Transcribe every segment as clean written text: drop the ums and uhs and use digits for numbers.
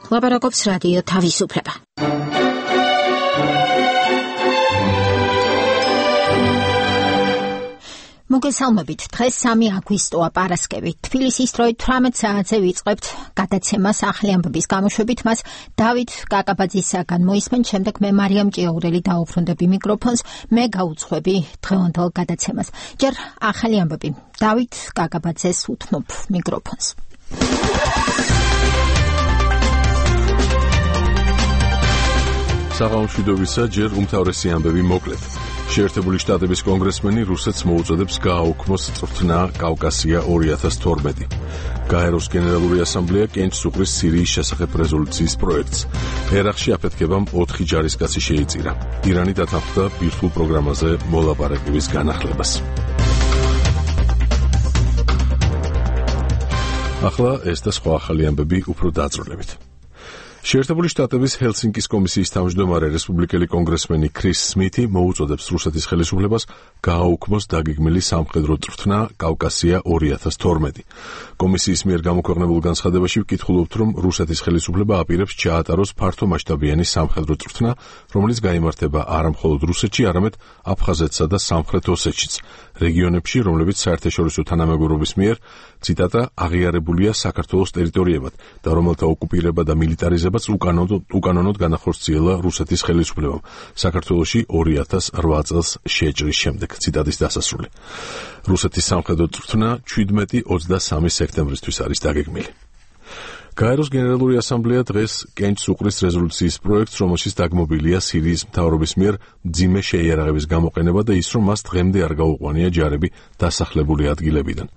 ლაპარაკობს რადიო თავისუფლება. მოგესალმებით, დღეს 3 აგვისტოა პარასკევი. თბილისის დროით 18 საათზე ვიწყებთ გადაცემას ახალი ამბების გამოშვებით. მას დავით კაკაბაძისაგან მოისმენთ, შემდეგ მე მარიამ ჭიაურელი დაუბრუნდები მიკროფონს, მე გაუძღვები დღევანდელ გადაცემას. ჯერ ახალი ამბები. დავით კაკაბაძეს უთმობ მიკროფონს. საღამოშვიდობისა, ჯერ უმთავრესი ამბები მოკლედ. შეერთებული შტატების კონგრესმენი რუსეთს მოუწოდებს გააუქმოს წვრთნა კავკასია 2012. გაეროს გენერალური ასამბლეა კენჭს უყრის სირიის შესახებ რეზოლუციის პროექტს. ერაყში აფეთქებამ 4 ჯარისკაცი შეიწირა. ირანი დათანხმდა ბირთვულ პროგრამაზე მოლაპარაკების განახლებას. ახლა ეს და სხვა ახალი ამბები უფრო დაწვრილებით. შეერთებული შტატების ჰელსინკის კომისიის თავმჯდომარე რესპუბლიკელი კონგრესმენი ქრის სმითი მოუწოდებს რუსეთის ხელისუფლებას გააუქმოს დაგეგმილი სამხედრო წვრთნა კავკასია 2012. კომისიის მიერ გამოქვეყნებულ განცხადებაში ვკითხულობთ, რომ რუსეთის ხელისუფლება აპირებს ჩაატაროს ფართომასშტაბიანი სამხედრო წვრთნა, რომელიც გაიმართება არა მხოლოდ რუსეთში, არამედ აფხაზეთსა და სამხრეთ ოსეთშიც, რეგიონებში, რომლებიც საერთაშორისო თანამეგობრობის მიერ, ციტატა, აღიარებულია საქართველოს ტერიტორიებად და რომელთა ოკუპირება და მილიტარიზებაც უკანონოდ განახორციელა რუსეთის ხელისუფლებამ საქართველოში 2008 წელს შეჭრის შემდეგ. ციტატის დასასრული. რუსეთის სამხედრო წვრთნა 17-23 სექტემბრისთვის არის დაგეგმილი. გაეროს გენერალური ასამბლეა დღეს კენჭს უყრის რეზოლუციის პროექტს, რომელშიც დაგმობილია სირიის მთავრობის მიერ მძიმე შეიარაღების გამოყენება და ის, რომ მას დღემდე არ გაუყვანია ჯარები დასახლებული ადგილებიდან.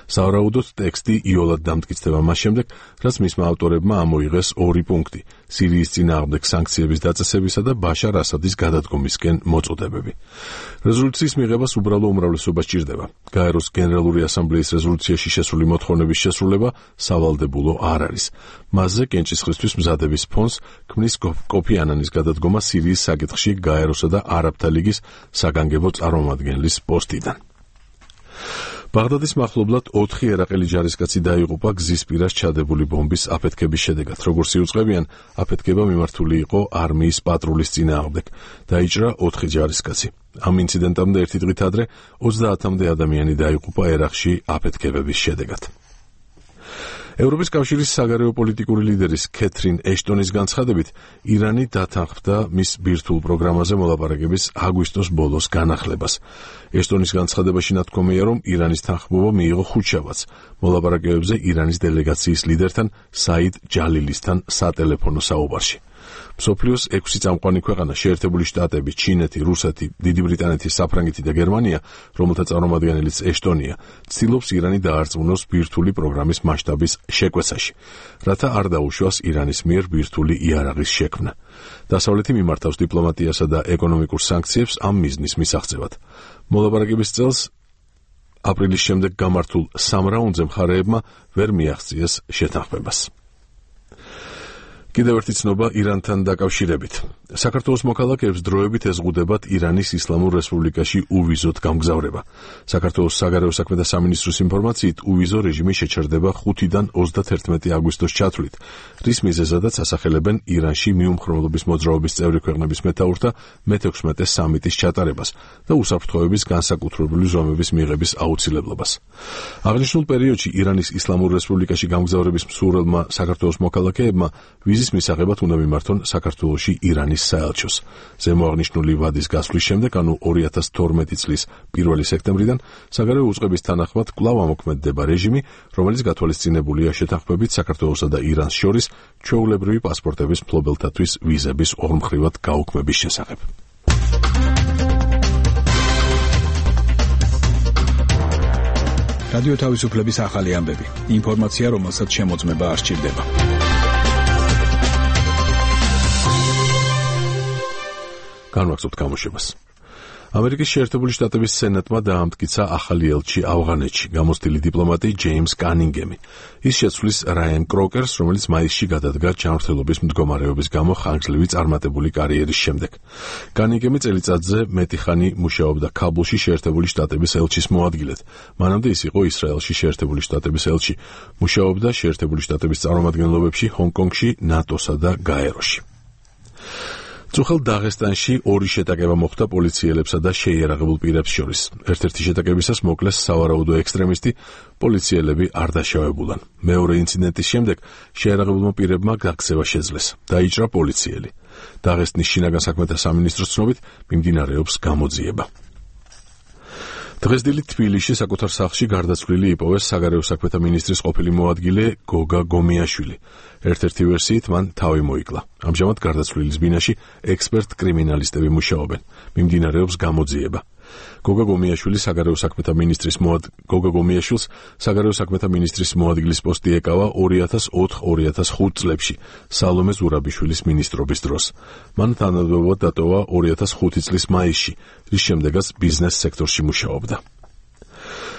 სავარაუდოდ ტექსტი იოლად დამტკიცდება მას შემდეგ, რაც მისმა ავტორებმა ამოიღეს 2 პუნქტი: სირიის წინააღმდეგ სანქციების დაწესებისა და ბაშარ ასადის გადადგომისკენ მოწოდებები. რეზოლუციის მიღებას უბრალო უმრავლესობა სჭირდება. გაეროს გენერალური ასამბლეის რეზოლუციაში შესული მოთხოვნების შესრულება სავალდებულო არ არის. მასზე კენჭისყრისთვის მზადების ფონს ქმნის კოფი ანანის გადადგომა სირიის საკითხში გაეროსა და არაბთა ლიგის საგანგებო წარმომადგენლის პოსტიდან. ბაღდადის მახლობლად 4 ერაყელი ჯარისკაცი დაიღუპა გზის პირას ჩადებული ბომბის აფეთქების შედეგად. როგორც იუწყებიან, აფეთქება მიმართული იყო არმიის პატრულის წინააღმდეგ. დაიჭრა 4 ჯარისკაცი. ამ ინციდენტამდე 1 დღით ადრე 30-მდე ადამიანი დაიღუპა ერაყში აფეთქებების შედეგად. ევროპის კავშირის საგარეო პოლიტიკური ლიდერის კეთრინ ეშტონის განცხადებით, ირანი დათანხმდა მის ბირთვულ პროგრამაზე მოლაპარაკების აგვისტოს ბოლოს განახლებას. ეშტონის განცხადებაში ნათქვამია, რომ ირანის თანხმობა მიიღო ხუთშაბათს მოლაპარაკებებზე ირანის დელეგაციის ლიდერთან საიდ ჯალილისთან სატელეფონო საუბარში. მსოფლიოს 6 წამყვანი ქვეყანა შეერთებული შტატები, ჩინეთი, რუსეთი, დიდი ბრიტანეთი, საფრანგეთი და გერმანია, რომელთა წარმომადგენელიც ეშტონია, ცდილობს ირანი დაარწმუნოს ბირთვული პროგრამის მასშტაბის შეკვეცაში, რათა არ დაუშვას ირანის მიერ ბირთვული იარაღის შექმნა. დასავლეთი მიმართავს დიპლომატიასა და ეკონომიკურ სანქციებს ამ მიზნის მისაღწევად. მოლაპარაკების წელს აპრილის შემდეგ გამართულ 3 რაუნდზე მხარეებმა ვერ მიაღწიეს შეთანხმებას. კიდევ ერთი ცნობა ირანთან დაკავშირებით. საქართველოს მოქალაქეებს დროებით ეზღუდებათ ირანის ისლამურ რესპუბლიკაში უვიზოთ გამგზავრება. საქართველოს საგარეო საქმეთა სამინისტროს ინფორმაციით, უვიზო რეჟიმი შეჩერდება 5-დან 31 აგვისტოს ჩათვლით, რის მიზეზადაც ასახელებენ ირანში მიუმხრობლობის მოძრაობის წევრი ქვეყნების მეთაურთა მე-16 სამიტის ჩატარებას და უსაფრთხოების განსაკუთრებული ზომების მიღების აუცილებლობას. აღნიშნულ პერიოდში ირანის ისლამურ რესპუბლიკაში გამგზავრების მსურველმა საქართველოს მოქალაქეებმა ვიზის მისაღებად უნდა მიმართონ საქართველოში ირანის საელჩოს. ზემოაღნიშნული ვადის გასვლის შემდეგ, ანუ 2012 წლის 1 სექტემბრიდან, საგარეო უწყების თანახმად კვლავ ამოქმედდება რეჟიმი, რომელიც გათვალისწინებულია შეთანხმებით საქართველოსა და ირანს შორის ჩვეულებრივი პასპორტების მფლობელთათვის ვიზების ორმხრივად გაუქმების შესახებ. რადიო თავისუფლების ახალი ამბები. ინფორმაცია, რომელსაც შემოწმება არ სჭირდება. განვაგრძობთ გამოშვებას. ამერიკის შეერთებული შტატების სენატმა დაამტკიცა ახალი ელჩი ავღანეთში, გამოცდილი დიპლომატი ჯეიმს კანინგემი. ის შეცვლის რაიან კროკერს, რომელიც მაისში გადადგა ჯანმრთელობის მდგომარეობის გამო ხანგრძლივი წარმატებული კარიერის შემდეგ. კანინგემი წელიწადზე მეტი ხანი მუშაობდა ქაბულში შეერთებული შტატების ელჩის მოადგილედ. მანამდე ის იყო ისრაელში შეერთებული შტატების ელჩი. მუშაობდა შეერთებული შტატების წარმომადგენლობებში ჰონკონგში, ნატოსა და გაეროში. წუხელ დაღესტანში ორი შეტაკება მოხდა პოლიციელებსა და შეიარაღებულ პირებს შორის. ერთ-ერთი შეტაკებისას მოკლეს სავარაუდო ექსტრემისტი, პოლიციელები არ დაშავებულან. მეორე ინციდენტის შემდეგ შეიარაღებულმა პირებმა გაქცევა შეძლეს. დაიჭრა პოლიციელი. დაღესტნის შინაგან საქმეთა სამინისტროს ცნობით მიმდინარეობს გამოძიება. დღეს დილით თბილისში საკუთარ სახლში გარდაცვლილი იპოვეს საგარეო საქმეთა მინისტრის ყოფილი მოადგილე გოგა გომიაშვილი. ერთ-ერთი ვერსიით მან თავი მოიკლა. ამჟამად გარდაცვლილის ბინაში ექსპერტ კრიმინალისტები მუშაობენ. მიმდინარეობს გამოძიება. გოგა გომიაშვილს საგარეო საქმეთა მინისტრის მოადგილის პოსტი ეკავა 2004-2005 წლებში სალომე ზურაბიშვილის მინისტრობის დროს. მან თანამდებობად დატოვა 2005 წლის მაისში, რის შემდეგაც ბიზნეს სექტორში მუშაობდა.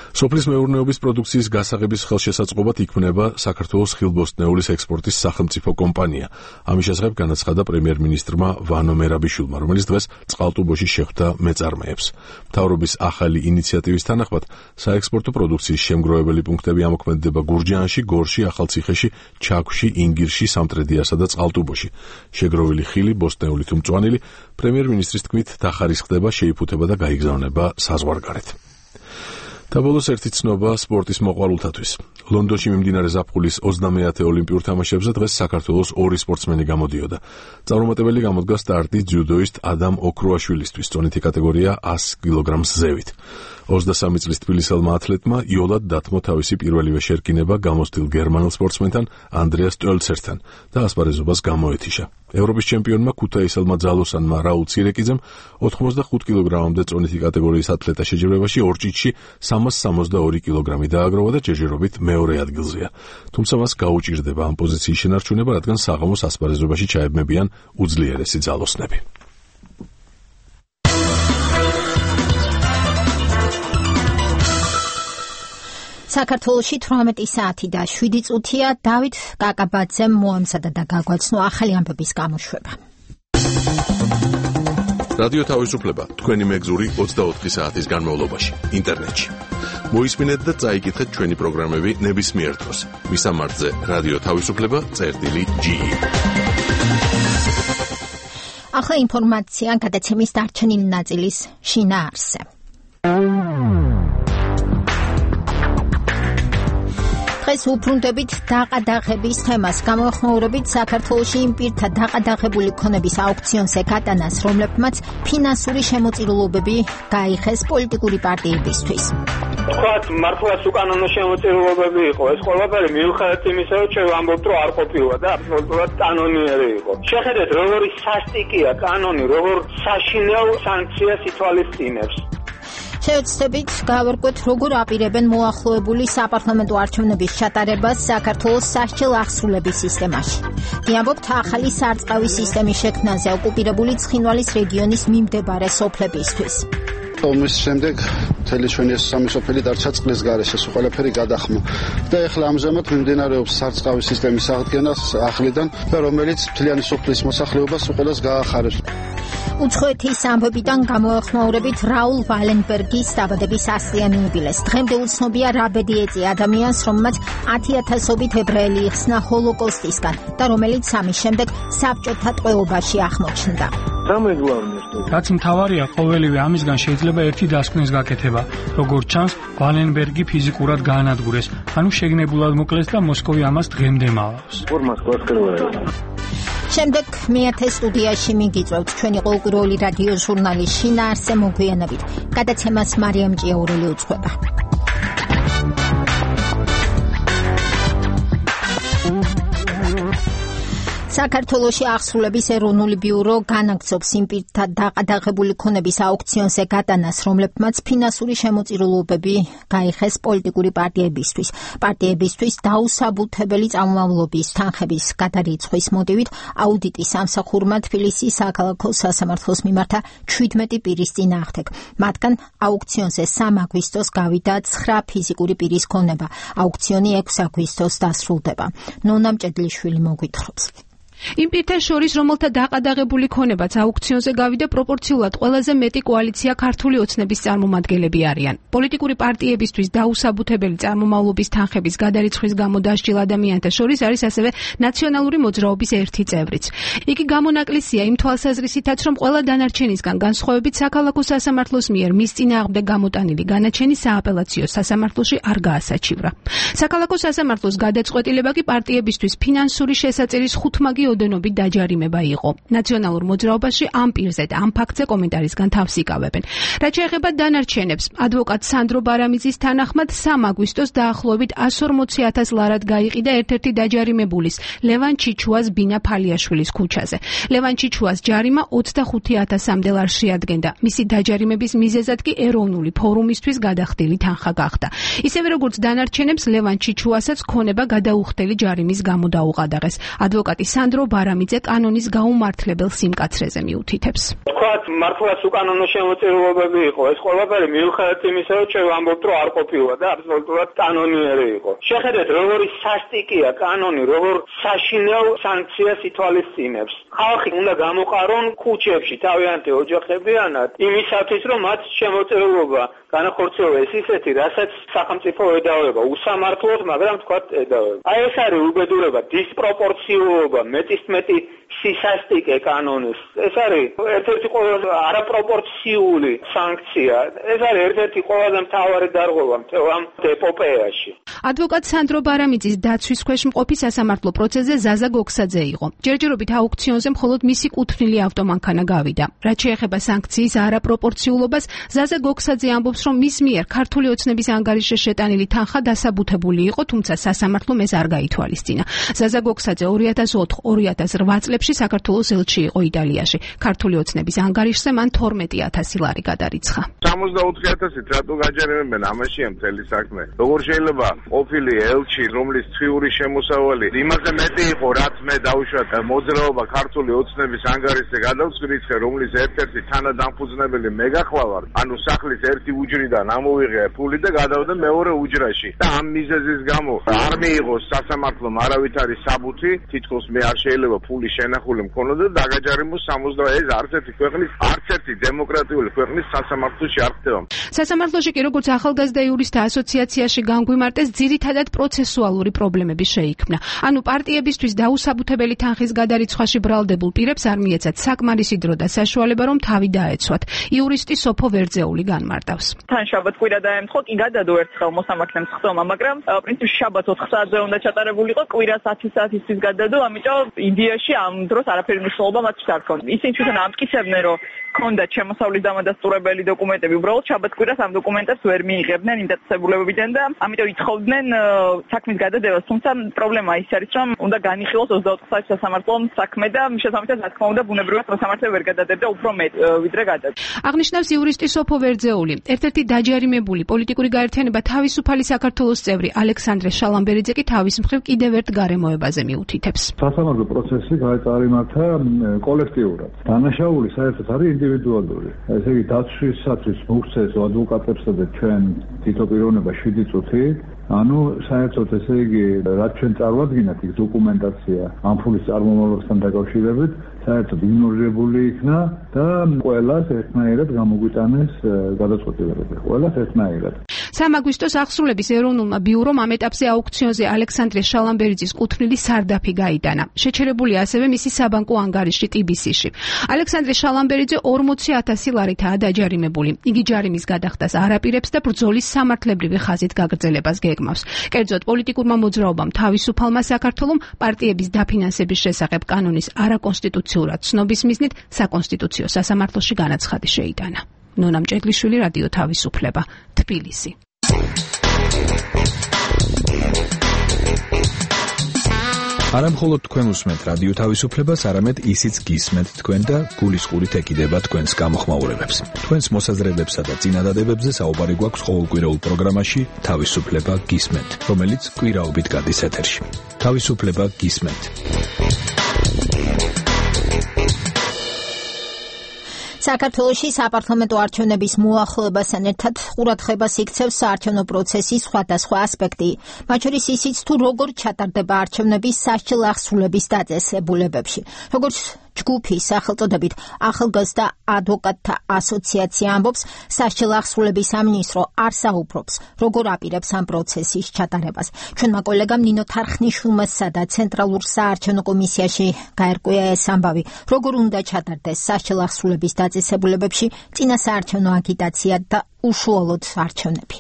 სოფლის მეურნეობის პროდუქციის გასაღების ხელშესაწყობად იქმნება საქართველოს ხილბოსტნეულის ექსპორტის სახელმწიფო კომპანია. ამის შესახებ განაცხადა პრემიერ-მინისტრმა ვანო მერაბიშვილმა, რომელიც დღეს წყალტუბოში შეხვდა მეწარმეებს. მთავრობის ახალი ინიციატივის თანახმად საექსპორტო პროდუქციის შემგროვებელი პუნქტები ამოქმედება გურჯაანში, გორში, ახალციხეში, ჩაქვში, ინგირში, სამტრედიასა და წყალტუბოში. შეგროვილი ხილი, ბოსტნეული თუ მწვანილი, პრემიერ-მინისტრის თქმით დახარისხდება, შეიფუთება და გაიგზავნება საზღვარგარეთ. და ბოლოს ერთი ცნობა სპორტის მოყვარულთათვის. ლონდონში მიმდინარე ზაფხულის 20-ე ოლიმპიურ თამაშებზე დღეს საქართველოს ორი სპორტსმენი გამოდიოდა. წარუმატებელი გამოდგა სტარტი ძიუდოისტ ადამ ოქრუაშვილისთვის, წონითი კატეგორია 100 კილოგრამს ზევით. 23 წლის თბილისელმა ათლეტმა იოლად დათმო თავისი პირველივე შერკინება გამოცდილ გერმანელ სპორტსმენთან ანდრეას ტოლცერთან და ასპარეზობას გამოეთიშა. ევროპის ჩემპიონმა ქუთაისელმა ძალოსანმა რაულ ცირეკიძემ 85 კილოგრამამდე წონითი კატეგორიის ათლეტა შეჯიბრებაში ორჭიჭში 362 კილოგრამი დააგროვა და ჯერჯერობით მეორე ადგილზეა. თუმცა მას გაუჭირდება ამ პოზიციის შენარჩუნება, რადგან საღამოს ასპარეზობაში ჩაებმებიან უძლიერესი ძალოსნები. საქართველოში 18 საათი და 7 წუთია. დავით კაკაბაძემ მოამზადა და გაგვაცნო ახალი ამბების გამოშვება. რადიო თავისუფლება თქვენი მეგზური 24 საათის განმავლობაში ინტერნეტში. მოისმინეთ და წაიკითხეთ ჩვენი პროგრამები ნებისმიერ დროს. მისამართზე რადიო თავისუფლება.ge. ახლა ინფორმაცია გადაცემის დარჩენილი ნაწილის შინაარსზე. დღეს უბრუნდებით დაყადაღების თემას. გამოეხმაურებით საქართველოში იმ პირთა დაყადაღებული ქონების აუქციონზე გატანას, რომლებმაც ფინანსური შემოწირულობები გაიხეს პოლიტიკური პარტიებისთვის. თქვათ, მართლაც უკანონო შემოწირულობები იყო. ეს ყველაფერი მიუხედავად იმისა, რომ ჩვენ ვამბობთ, რომ არ ყოფილა და აბსოლუტურად კანონიერი იყო. შეხედეთ, როგორი სასტიკია კანონი, როგორ საშინელ სანქციას ითვალისწინებს. შევეცდებით გავერკვეთ, როგორ აპირებენ მოახლოებული საპარლამენტო არჩევნების ჩატარებას საქართველოს სასჯელ აღსრულების სისტემაში. ვიამბობთ ახალი სარწყავი სისტემის შექმნაზე ოკუპირებული ცხინვალის რეგიონის მიმდებარე სოფლებისთვის. ომის შემდეგ მთელი ჩვენი სამი სოფელი დარჩა წყლის გარეშე, ყველაფერი გადახმა. და ეხლა ამჟამად მიმდინარეობს სარწყავი სისტემის აღდგენა ახლიდან და რომელიც მთლიანი სოფლის მოსახლეობას უყოლას გაახარებს. უცხოეთის ამბებიდან გამოეხმაურებით რაულ ვალენბერგის დაბადების 100-იანი იუბილეს. დღემდე უცნობია რა ბედი ეწია ადამიანს, რომელმაც 10,000-ობით ებრაელი იხსნა ჰოლოკოსტისგან და რომელიც ამის შემდეგ საბჭოთა ტყვეობაში აღმოჩნდა. რაც მთავარია, ყოველივე ამისგან შეიძლება ერთი დასკვნის გაკეთება. როგორც ჩანს, ვალენბერგი ფიზიკურად გაანადგურეს, ანუ შეგნებულად მოკლეს და მოსკოვი ამას დღემდე მალავს. შემდეგ მეათე სტუდიაში მიგიწევთ ჩვენი ყოველკვირეული რადიო ჟურნალის შინაარსზე მოგვიანებით. გადაცემას მარიამ ჭიაურელი უძღვება. საქართველოში აღსრულების ეროვნული ბიურო განაგრძობს იმ პირთა დაყადაღებული ქონების აუქციონზე გადანას, რომლებმაც ფინანსური შემოწირულობები გაიხეს პოლიტიკური პარტიებისთვის. პარტიებისთვის დაუსაბუთებელი წარმომავლობის თანხების გადარიცხვის მოტივით აუდიტის სამსახურმა თბილისის საქალაქო სასამართლოს მიმართა 17 პირის წინააღმდეგ. მათგან აუქციონზე 3 აგვისტოს გავიდა 9 ფიზიკური პირის ქონება. აუქციონი 6 აგვისტოს დასრულდება. ნონა მჭედლიშვილი მოგვითხრობს. იმ პირთა შორის, რომელთა დაყადაღებული ქონებაც აუქციონზე გავიდა, პროპორციულად ყველაზე მეტი კოალიცია ქართული ოცნების წარმომადგენლები არიან. პოლიტიკური პარტიებისთვის დაუსაბუთებელი წარმომავლობის თანხების გადარიცხვის გამო დასჯილ ადამიანთა შორის არის ასევე ნაციონალური მოძრაობის ერთი წევრიც. იგი გამონაკლისია იმ თვალსაზრისითაც, რომ ყველა დანარჩენისგან განსხვავებით საქალაქო სასამართლოს მიერ მის წინააღმდეგ გამოტანილი განაჩენი სააპელაციო სასამართლოში არ გაასაჩივრა. საქალაქო სასამართლოს გადაწყვეტილება კი პარტიებისთვის ფინანსური შესაწერის ხუთმაგი ოდენობით დაჯარიმება იყო. ნაციონალურ მოძრაობაში ამ პირზე და ამ ფაქტზე კომენტარისგან თავს იკავებენ. რაც შეეხება დანარჩენებს, ადვოკატ სანდრო ბარამიძის თანახმად 3 აგვისტოს დაახლოებით 140,000 ლარად გაიყიდა ერთ-ერთი დაჯარიმებულის, ლევან ჩიჩუას ბინა ფალიაშვილის ქუჩაზე. ლევან ჩიჩუას ჯარიმა 25,000-მდე ლარს შეადგენდა. მისი დაჯარიმების მიზეზად კი ეროვნული ფორუმისთვის გადახდილი თანხა გახდა. ისევე როგორც დანარჩენებს, ლევან ჩიჩუასაც ქონება გადაუხდელი ჯარიმის გამო დაუყადაღეს. ადვოკატი სანდრო ბარამიძე კანონის გაუმართლებელ სიმკაცრეზე მიუთითებს. თქვათ, მართლაც უკანონო შემოწირულობები იყო. ეს ყველაფერი მიუხედავად იმისა, რომ ჩვენ ვამბობთ, რომ არ ყოფილა და აბსოლუტურად კანონიერი იყო. შეხედეთ, როგორი სასტიკია კანონი, როგორ საშინელ სანქციას ითვალისწინებს. ხალხი უნდა გამოყარონ ქუჩებში თავიანთი ოჯახებიანად იმისათვის, რომ მათ შემოწირულობა განახორციელოს ისეთი, რასაც სახელმწიფო ედავება, უსამართლოდ, მაგრამ თქვათ ედავება. აი ეს არის უბედურება, დისპროპორციულობა, მეტისმეტი სისასტიკე კანონის. ეს არის ერთ-ერთი ყველაზე არაპროპორციული სანქცია. ეს არის ერთ-ერთი ყველაზე მთავარი დარღვევა მთელ ამ ეპოპეაში. ადვოკატ სანდრო ბარამიძის დაცვის ქვეშ მყოფი სასამართლო პროცესზე ზაზა გოქსაძე იყო. ჯერჯერობით აუქციონზე მხოლოდ მისი კუთვნილი ავტომანქანა გავიდა. რაც შეეხება სანქციის არაპროპორციულობას, ზაზა გოქსაძე ამბობს, რომ მის მიერ ქართული ოცნების ანგარიშზე შეტანილი თანხა დასაბუთებული იყო, თუმცა სასამართლომ ეს არ გაითვალისწინა. ზაზა გოქსაძე 2004-2008 წლებში საქართველოს ელჩი იყო იტალიაში. ქართული ოცნების ანგარიშზე მან 12,000 ლარი გადარიცხა. 64,000 რატო გაჯერებენ, ამაშია მთელი საქმე. როგორ შეიძლება ყოფილი ელჩი, რომლის ციური შემოსავალი იმაზე მეტი იყო, რაც მე დავუშვათ მოძრაობა ქართული ოცნების ანგარიშზე გადავწყვიტე, რომლის ერთ-ერთი თანადამფუძნებელი მე გახლავარ, ანუ სახლის ერთი უჯრიდან ამოვიღე ფული და გადავდა მეორე უჯრაში. და ამ მიზეზის გამო არ მიიღოს სასამართლომ არავითარი საბუთი, თითქოს მე არ შეიძლება ფული შენახული მქონოდა და დაგაჯარიმოს 60 ეს არც ერთი დემოკრატიული ქვეყნის სასამართლოში არ ხდება. სასამართლოში კი როგორც ახალგაზრდა იურისტთა ასოციაციაში განგვიმარტეს, ძირითადად პროცესუალური პრობლემები შეიქმნა. ანუ პარტიებისთვის დაუსაბუთებელი თანხის გადარიცხვაში ბრალდებულ პირებს არ მიეცათ საკმარისი დრო და საშუალება, რომ თავი დაეცვათ. იურისტი სოფო ვერძეული განმარტავს. თან შაბათ კვირა დაემთხო, კი გადადო ერთხელ მოსამართლემ ხდომა, მაგრამ პრინციპში შაბათ 4 საათზე უნდა ჩატარებულიყო, კვირას 10 საათისთვის გადადო, ამიტომ ინდიაში ამ დროს არაფერი მნიშვნელობა მათთვის არ ქონდა. ისინი თვითონ ამტკიცებდნენ, რომ ქონდათ შემოსავლის დამადასტურებელი დოკუმენტები, უბრალოდ შაბათ კვირას ამ დოკუმენტებს ვერ მიიღებდნენ იმ დაწესებულებებიდან და ამიტომ ითხოვდნენ საქმის გადადებას. თუმცა პრობლემა ის არის, რომ უნდა განიხილოს 24 საათის სასამართლომ საქმე და შესაბამისად, რა თქმა უნდა, ბუნებრივად სასამართლო ვერ გადადებდა უფრო მეტ ვიდრე გადადა. აღნიშნავს იურისტი სოფო ვერძეული. ერთ-ერთი დაჯარიმებული პოლიტიკური გაერთიანება თავისუფალი საქართველოს წევრი ალექსანდრე შალამბერიძე კი თავის მხრივ კიდევ ერთ გარემოებაზე მიუთითებს. სასამართლო პროცესი გაეწარიმართა კოლექტიურად. დანაშაული საერთოდ არის ინდივიდუალური. ესე იგი დაცვისათვის მოუწეს ადვოკატებსა და ჩვენ თითო პიროვნება 7 წუთი. ანუ საერთოდ ესე იგი რაც ჩვენ წარვადგინეთ იქ დოკუმენტაცია ამ ფულის წარმომავლობასთან დაკავშირებით საერთოდ იგნორირებული იქნა და ყველას ერთნაირად გამოგვიტანეს გადაწყვეტილებები. ყველას ერთნაირად. 3 აგვისტოს აღსრულების ეროვნულმა ბიურომ ამ ეტაპზე აუქციონზე ალექსანდრე შალამბერიძის კუთვნილი სარდაფი გაიტანა. შეჩერებული ასევე მისი საბანკო ანგარიში TBC-ში. ალექსანდრე შალამბერიძე 40,000 ლარითაა დაჯარიმებული. იგი ჯარიმის გადახდას არ აპირებს და ბრძოლის სამართლებრივი ხაზით გაგრძელებას გეგმავს. კერძოდ, პოლიტიკურმა მოძრაობამ თავისუფალმა საქართველომ პარტიების დაფინანსების შესახებ კანონის არაკონსტიტუციურად ცნობის მიზნით საკონსტიტუციო სასამართლოში განაცხადი შეიტანა. ნონა მჭედლიშვილი, რადიო თავისუფლება, თბილისი. არა მხოლოდ თქვენ უსმენთ რადიო თავისუფლებას, არამედ ისიც გისმენთ თქვენ და გულისყურით ეკიდება თქვენს გამოხმაურებებს. თქვენს მოსაზრებებსა და წინადადებებზე საუბარი გვაქვს ყოველკვირეულ პროგრამაში თავისუფლება გისმენთ, რომელიც კვირაობით გადის ეთერში. თავისუფლება გისმენთ. საქართველოში საპარლამენტო არჩევნების მოახლოებასთან ერთად ყურადღებას იქცევს საარჩევნო პროცესის სხვადასხვა ასპექტი, მათ შორის ისიც თუ როგორ ჩატარდება არჩევნების სასჯელ აღსრულების დაწესებულებებში. როგორც ჯგუფის სახელწოდებით ახალგაზრდა ადვოკატთა ასოციაცია ამბობს, სასჯელ აღსრულების სამინისტრო არ საუბრობს, როგორ აპირებს ამ პროცესის ჩატარებას. ჩვენმა კოლეგამ ნინო თარხნიშვილმა და ცენტრალურ საარჩევნო კომისიაში გაერკვია ეს ამბავი, როგორ უნდა ჩატარდეს სასჯელ აღსრულების დაწესებულებებში წინა საარჩევნო აგიტაცია და უშუალოდ არჩევნები.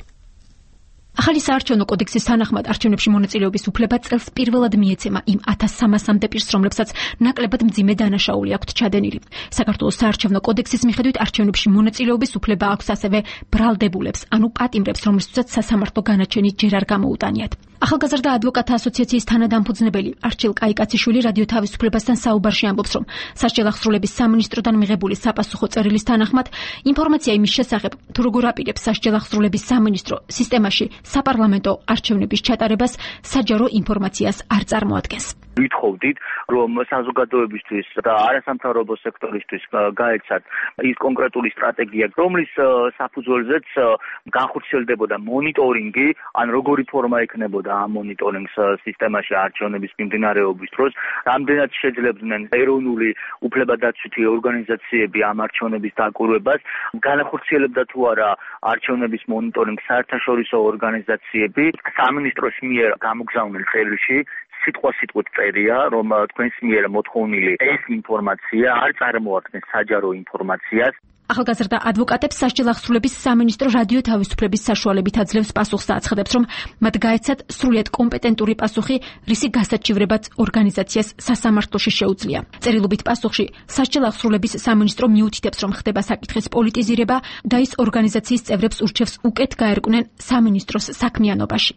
ახალი საარჩევნო კოდექსის თანახმად არჩევნებში მონაწილეობის უფლება წელს პირველად მიეცემა იმ 1300-მდე პირს, რომლებსაც ნაკლებად მძიმე დანაშაული აქვთ ჩადენილი. საქართველოს საარჩევნო კოდექსის მიხედვით არჩევნებში მონაწილეობის უფლება აქვს ასევე ბრალდებულებს, ანუ პატიმრებს, რომლებსაც სასამართლო განაჩენი ჯერ არ გამოუტანიათ. ახალგაზრდა ადვოკატთა ასოციაციის თანადამფუძნებელი არჩილ კაიკაციშვილი რადიო თავისუფლებასთან საუბარში ამბობს, რომ სასჯელ აღსრულების სამინისტროდან მიღებული საპასუხო წერილის თანახმად ინფორმაცია იმის შესახებ, თუ როგორ აპირებს სასჯელ აღსრულების სამინისტრო სისტემაში საპარლამენტო არჩევნების ჩატარებას საჯარო ინფორმაციას არ წარმოადგენს. ვითხოვდით, რომ საზოგადოებისთვის და არასამთავრობო სექტორისთვის გაეცათ ის კონკრეტული სტრატეგია, რომლის საფუძველზეც განხორციელდებოდა მონიტორინგი, ან როგორი ფორმა ექნებოდა ამ მონიტორინგს სისტემაში არჩევნების მიმდინარეობის დროს, რამდენად შეძლებდნენ ეროვნული უფლებადაცვითი ორგანიზაციები ამ არჩევნების დაკვირვებას, განახორციელებდა თუ არა არჩევნების მონიტორინგს საერთაშორისო ორგანიზაციები, სამინისტროს მიერ გამოგზავნილ წერილში სიტყვასიტყვით წერია, რომ თქვენს მიერ მოთხოვნილი ეს ინფორმაცია არ წარმოადგენს საჯარო ინფორმაციას. ახალგაზრდა ადვოკატებს სასჯელ აღსრულების სამინისტრო რადიო თავისუფლების საშუალებით აძლევს პასუხს და აცხადებს, რომ მათ გაეცათ სრულიად კომპეტენტური პასუხი, რისი გასაჩივრებაც ორგანიზაციას სასამართლოში შეუძლია. წერილობით პასუხში სასჯელ აღსრულების სამინისტრო მიუთითებს, რომ ხდება საკითხის პოლიტიზირება და ის ორგანიზაციის წევრებს ურჩევს უკეთ გაერკვნენ სამინისტროს საქმიანობაში.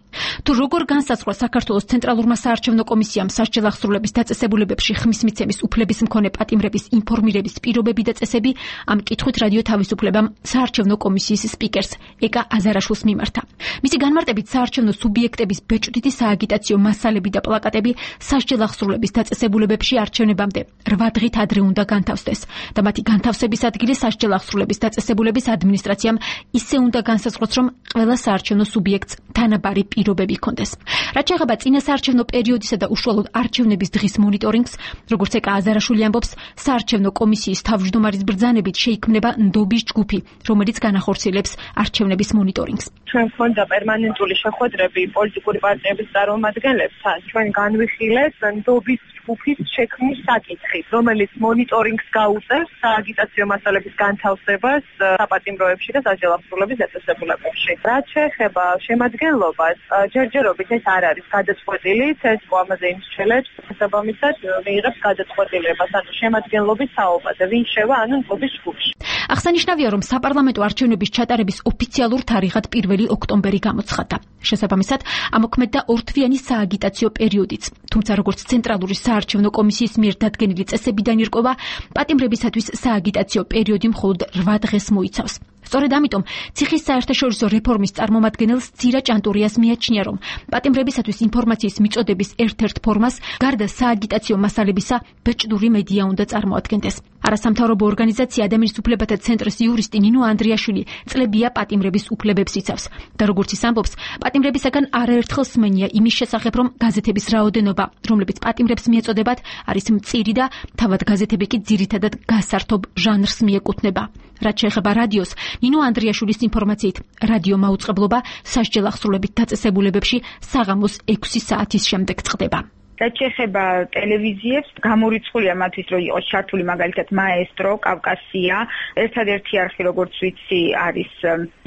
თუ როგორ განსაზღვრა საქართველოს ცენტრალურმა საარჩევნო კომისიამ სასჯელ აღსრულების დაწესებულებებში ხმის მიცემის უფლების მქონე პატიმრების ინფორმირების პირობები და წესები, ამ კითხვით რადიო თავისუფლებამ საარჩევნო კომისიის სპიკერს ეკა აზარაშვილს მიმართა. მისი განმარტებით საარჩევნო სუბიექტების ბეჭდვითი სააგიტაციო მასალები და პლაკატები სასჯელ აღსრულების დაწესებულებებში არჩევნებამდე 8 დღით ადრე უნდა განთავსდეს და მათი განთავსების ადგილი სასჯელ აღსრულების დაწესებულების ადმინისტრაციამ ისე უნდა განსაზღვროს, რომ ყველა საარჩევნო სუბიექტს თანაბარი პირობები ჰქონდეს. რაც შეეხება წინა საარჩევნო პერიოდისა და უშუალოდ არჩევნების დღის მონიტორინგს, როგორც ეკა აზარაშვილი ამბობს, საარჩევნო კომისიის თავმჯდომარის ბრძანებით შეიქმნება ნდობის ჯგუფი, რომელიც განახორციელებს არჩევნების მონიტორინგს. ჩვენ გვქონდა პერმანენტული შეხვედრები პოლიტიკური პარტიების წარმომადგენლებთან. ჩვენ განვიხილეთ ნდობის ჯგუფის შექმნის საკითხი, რომელიც მონიტორინგს გაუწევს სააგიტაციო მასალების განთავსებას საპატიმროებში და სასჯელ აღსრულების დაწესებულებებში. რაც შეეხება შემადგენლობას, ჯერჯერობით ეს არ არის გადაწყვეტილი, ცესკო ამაზე იმსჩელებს, შესაბამისად მიიღებს გადაწყვეტილებას, ანუ შემადგენლობის საუბარზე, ვინ შევა, ანუ ნდობის ჯგუფში. აღსანიშნავია, რომ საპარლამენტო არჩევნების ჩატარების ოფიციალურ თარიღად 1 ოქტომბერი გამოცხადდა. შესაბამისად, ამოქმედდა ორთვიანი სააგიტაციო პერიოდიც. თუმცა, როგორც ცენტრალური საარჩევნო კომისიის მიერ დადგენილი წესებიდან ირკვევა, პატიმრებისათვის სააგიტაციო პერიოდი მხოლოდ 8 დღეს მოიცავს. სწორედ ამიტომ ციხის საერთაშორისო რეფორმის წარმომადგენელს ძირა ჭანტურიას მიაჩნია, რომ პატიმრებისათვის ინფორმაციის მიწოდების ერთ-ერთ ფორმას გარდა სააგიტაციო მასალებისა ბეჭდური მედია უნდა წარმოადგენდეს. არასამთავრობო ორგანიზაცია ადამიანის უფლებათა ცენტრის იურისტი ნინო ანდრიაშვილი წლებია პატიმრების უფლებებს იცავს და როგორც ის ამბობს, პატიმრებისაგან არაერთხელ სმენია იმის შესახებ, რომ გაზეთების რაოდენობა, რომლებიც პატიმრებს მიეწოდებათ, არის მწირი და თავად გაზეთები კი ძირითადად გასართობ ჟანრს მიეკუთვნება. რაც შეეხება რადიოს, ნინო ანდრიაშვილის ინფორმაციით, რადიო მაუწყებლობა სასჯელ აღსრულებით დაწესებულებებში საღამოს 6 საათის შემდეგ წყდება. რაც შეეხება ტელევიზიებს, გამორიცხულია მათთვის, რომ იყოს ჩართული მაგალითად მაესტრო, კავკასია, ერთადერთი არხი, როგორც ვიცი, არის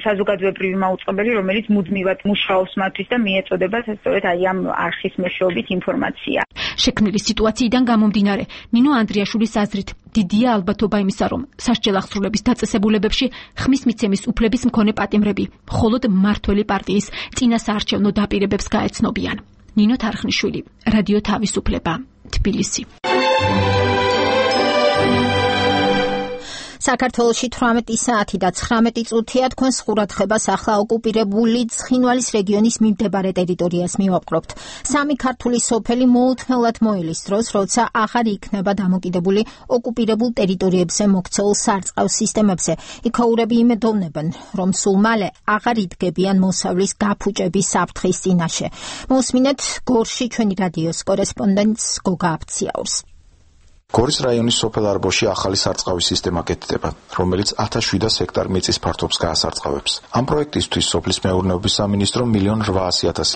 საზოგადოებრივი მაუწყებელი, რომელიც მუდმივად მუშაობს მათთვის და მიეწოდება სწორედ აი ამ არხის მეშვეობით ინფორმაცია. შექმნილი სიტუაციიდან გამომდინარე, ნინო ანდრიაშვილის აზრით, დიდია ალბათობა იმისა, რომ სასჯელ აღსრულების დაწესებულებებში ხმის მიცემის უფლების მქონე პატიმრები მხოლოდ მმართველი პარტიის წინა საარჩევნო დაპირებებს გაეცნობიან. ნინო თარხნიშვილი, რადიო თავისუფლება, თბილისი. საქართველოში 18 საათი და 19 წუთია თქვენს ყურადღებას ახლა ოკუპირებული ცხინვალის რეგიონის მიმდებარე ტერიტორიას მივაპყრობთ. სამი ქართული სოფელი მოუთმელად მოელის დროს, როცა აღარ იქნება დამოკიდებული ოკუპირებულ ტერიტორიებზე მოქცეულ სარწყავ სისტემებზე. იქაურები იმედოვნებენ, რომ სულ მალე აღარ იდგებიან მოსავლის გაფუჭების საფრთხის წინაშე. მოусმინეთ გორში ჩვენი რადიოს კორესპონდენტს გოგა აფციაურს. გორის რაიონის სოფელ არბოში ახალი სარწყავის სისტემა გეთდება, რომელიც 1700 ჰექტარ მიწის ფართობს გაასარწყავებს. ამ პროექტისთვის სოფლის მეურნეობის სამინისტრომ 1.8 მილიონ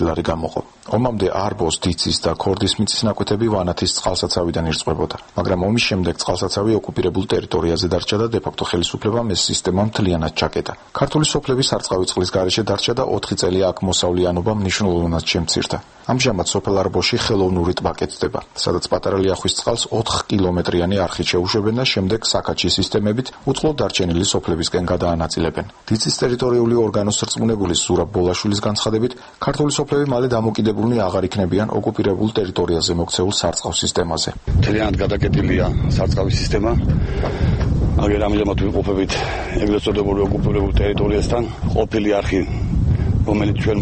ლარი გამოყო. ომამდე არბოს, დიცის და ქორდის მიწის ნაკვეთები ვანათის წყალსაცავიდან ირწყვებოდა, მაგრამ ომის შემდეგ წყალსაცავი ოკუპირებულ ტერიტორიაზე დარჩა და დე-ფაქტო ხელისუფლებამ ეს სისტემა მთლიანად ჩაკეტა. ქართული სოფლები სარწყავი წყლის გარეშე დარჩა და 4 წელი აქ მოსავლიანობა მნიშვნელოვნად შემცირდა. ამჟამად სოფელ არბოში ხელოვნური ტბა კეთდება, სადაც პატარა ლიახვის წყალს 4 კილომეტრიანი არხით შეუშვებენ და შემდეგ საკაჩი სისტემებით უწყლოდ დარჩენილი სოფლებისკენ გადაანაწილებენ. დიცის ტერიტორიული ორგანოს რწმუნებული ზურაბ ბოლაშვილის განცხადებით, ქართული სოფლები მალე დამოკიდებულნი აღარ იქნებიან ოკუპირებულ ტერიტორიაზე მოქცეულ სარწყავ სისტემაზე. მთლიანად გადაკეტილია სარწყავის სისტემა. აგერ ამჟამად ვიყოფებით ეგრეთ წოდებული ოკუპირებულ ტერიტორიასთან. ყოფილი არხი, რომელიც ჩვენ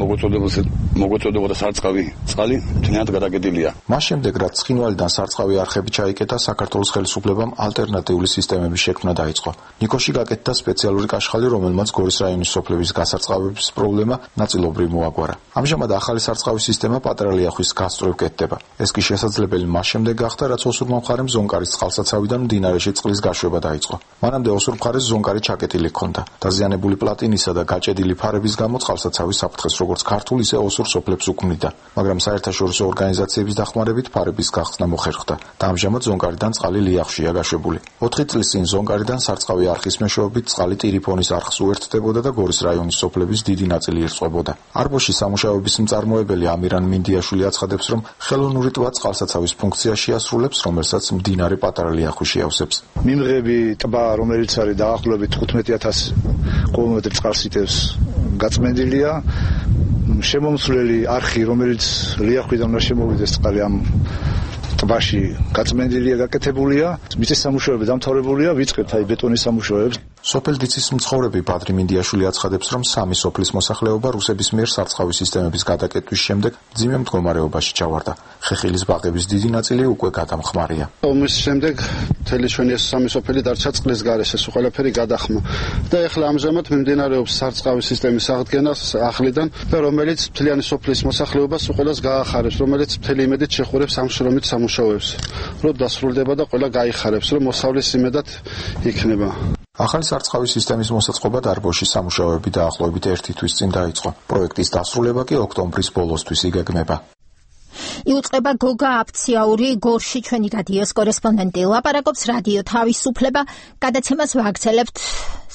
მოგოწოდებოდა სარწყავი წყალი, მთლიანად გადაკეტილია. მას შემდეგ, რაც ცხინვალიდან სარწყავი არხები ჩაიკეტა, საქართველოს ხელისუფლებამ ალტერნატიული სისტემების შექმნა დაიწყო. ნიკოში გაკეთდა სპეციალური კაშხალი, რომელმაც გორის რაიონის სოფლების გასარწყავების პრობლემა ნაწილობრივ მოაგვარა. ამჟამად ახალი სარწყავის სისტემა პატარა ლიახვის გასწვრივ კეთდება. ეს კი შესაძლებელი მას შემდეგ გახდა, რაც ოსურმა მხარემ ზონკარის წყალსაცავიდან მდინარეში წყლის გაშვება დაიწყო. მანამდე ოსურ მხარეს ზონკარი ჩაკეტილი ჰქონდა. დაზიანებული პლატინისა და გაჭედილი ფარების გამო წყალსაცავი საფრთხეს როგორც ქართულ, ისე ოსურ სოფლებს უქმნიდა, მაგრამ საერთაშორისო ორგანიზაციების დახმარებით ფარების გახსნა მოხერხდა და ამჟამად ზონკარიდან წყალი ლიახშია გაშვებული. 4 წლის წინ ზონკარიდან სარწყავი არხის მეშვეობით წყალი ტირიფონის არხს უერთდებოდა და გორის რაიონის სოფლების დიდი ნაწილი ირწყვებოდა. არბოში სამუშაოების მწარმოებელი ამირან მინდიაშვილი აცხადებს, რომ ხელოვნური ტბა წყალსაცავის ფუნქციას შეასრულებს, რომელსაც მდინარე პატარა ლიახვი შეავსებს. მიმღები ტბა, რომელიც არის დაახლოებით 15,000 კილომეტრი წყალს იტევს, გაწმენდილია. შემომსვლელი არხი, რომელიც ლიახვიდან უნდა შემოვიდეს წყალი ამ ტბაში, გაწმენდილია, გაკეთებულია. მიწის სამუშაოები დამთავრებულია, ვიწყებთ აი ბეტონის სამუშაოებს. სოფელ დიცის მცხოვრები ბადრი მინდიაშვილი აცხადებს, რომ სამი სოფლის მოსახლეობა რუსების მიერ სარწყავი სისტემების გადაკეტვის შემდეგ მძიმე მდგომარეობაში ჩავარდა. ხეხილის ბაღების დიდი ნაწილი უკვე გადამხმარია. ომის შემდეგ მთელი ჩვენი ეს სამი სოფელი დარჩა წყლის გარეშე, ეს ყველაფერი გადახმა. და ეხლა ამჟამად მიმდინარეობს სარწყავი სისტემის აღდგენა ახლიდან და რომელიც მთლიანი სოფლის მოსახლეობას ყველას გაახარებს, რომელიც მთელი იმედით შეხურებს ამ შრომით სამუშაოებს. რომ დასრულდება და ყველა გაიხარებს, რომ მოსავლის იმედად იქნება. ახალი სარწყავი სისტემის მოსაწყობად არბოში სამუშაოები დაახლოებით 1 თვის წინ დაიწყო. პროექტის დასრულება კი ოქტომბრის ბოლოსთვის იგეგმება. იუწყება გოგა აფციაური, გორში ჩვენი რადიოს კორესპონდენტი. ლაპარაკობს რადიო თავისუფლება, გადაცემას ვაგრძელებთ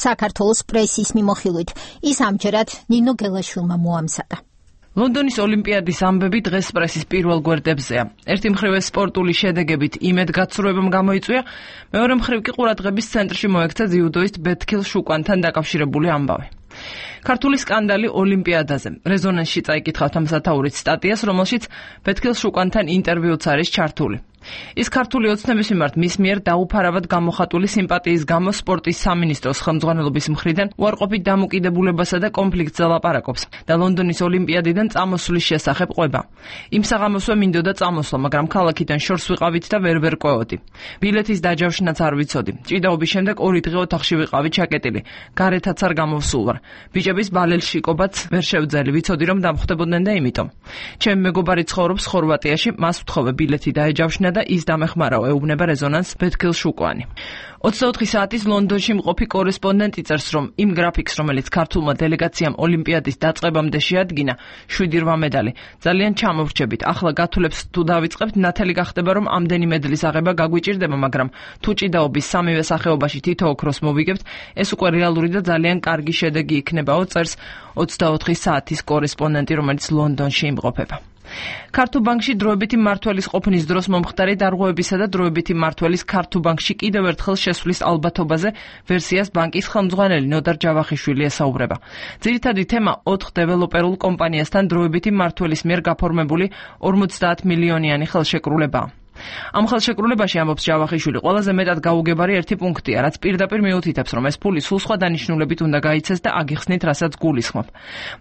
საქართველოს პრესის მიმოხილვით. ის ამჯერად ნინო გელაშვილმა მოამზადა. ლონდონის ოლიმპიადის ამბები დღეს პრესის პირველ გვერდებზეა. ერთი მხრივ სპორტული შედეგებით იმედგაცრუებამ გამოიწვია, მეორე მხრივ კი ყურადღების ცენტრში მოექცა ძიუდოისტ ბეთქილ შუკვანთან დაკავშირებული ამბავი. ქართული სკანდალი ოლიმპიადაზე. რეზონანსში წაიკითხავთ ამ სათაურით სტატიას, რომელშიც ბეთქილ შუკვანთან ინტერვიუც არის ჩართული. ის ქართული ოცნების მიმართ მის მიერ დაუფარავად გამოხატული სიმპათიის გამო სპორტის სამინისტროს ხელმძღვანელობის მხრიდან უარყოფით დამოკიდებულებასა და კონფლიქტს ლაპარაკობს და ლონდონის ოლიმპიადიდან წამოსვლის შესახებ ყვება. იმ საღამოსვე მინდოდა წამოსვლა, მაგრამ ქალაქიდან შორს ვიყავით და ვერ ყვეოდი. ბილეთის დაჯავშნაც არ ვიცოდი. ჭიდაობის შემდეგ 2 დღე ოთახში ვიყავი ჩაკეტილი. გარეთაც არ გამოვსულ ვარ. ბიჭების ბალელში იკობაც ვერ შევძელი, ვიცოდი რომ დამხვდებოდნენ და იმიტომ. ჩემი მეგობარი ცხოვრობს ხორვატიაში, მას ვთხოვე ბილეთი დაეჯავშნა და ის დამეხმარაო, ეუბნება რეზონანს ბეთქილ შუკვანი. 24 საათის ლონდონში მყოფი კორესპონდენტი წერს, რომ იმ გრაფიკს, რომელიც ქართულმა დელეგაციამ ოლიმპიადის დაწყებამდე შეადგინა, 7 მედალი, ძალიან ჩამოვრჩებით. ახლა გათვლებს თუ დავიწყებთ, ნათელი გახდება, რომ ამდენი მედლის აღება გაგვიჭირდება, მაგრამ თუ ჭიდაობის სამივე სახეობაში თითო ოქროს მოვიგებთ, ეს უკვე რეალური და ძალიან კარგი შედეგი იქნებაო, წერს 24 საათის კორესპონდენტი, რომელიც ლონდონში იმყოფება. ქართულ ბანკში დროებითი მმართველის ყოფნის დროს მომხდარი დარღვევებისა და დროებითი მმართველის ქართულ ბანკში კიდევ ერთხელ შესვლის ალბათობაზე ვერსიას ბანკის ხელმძღვანელი ნოდარ ჯავახიშვილი ესაუბრება. ძირითადი თემა 4 დეველოპერულ კომპანიასთან დროებითი მმართველის მიერ გაფორმებული 50 მილიონიანი ხელშეკრულებაა. ამ ხელშეკრულებაში ამბობს ჯავახიშვილი, ყველაზე მეტად გაუგებარი ერთი პუნქტია, რაც პირდაპირ მიუთითებს, რომ ეს ფული სულ სხვა დანიშნულებით უნდა გაიცეს და აგიხსნით, რასაც გულისხმობ.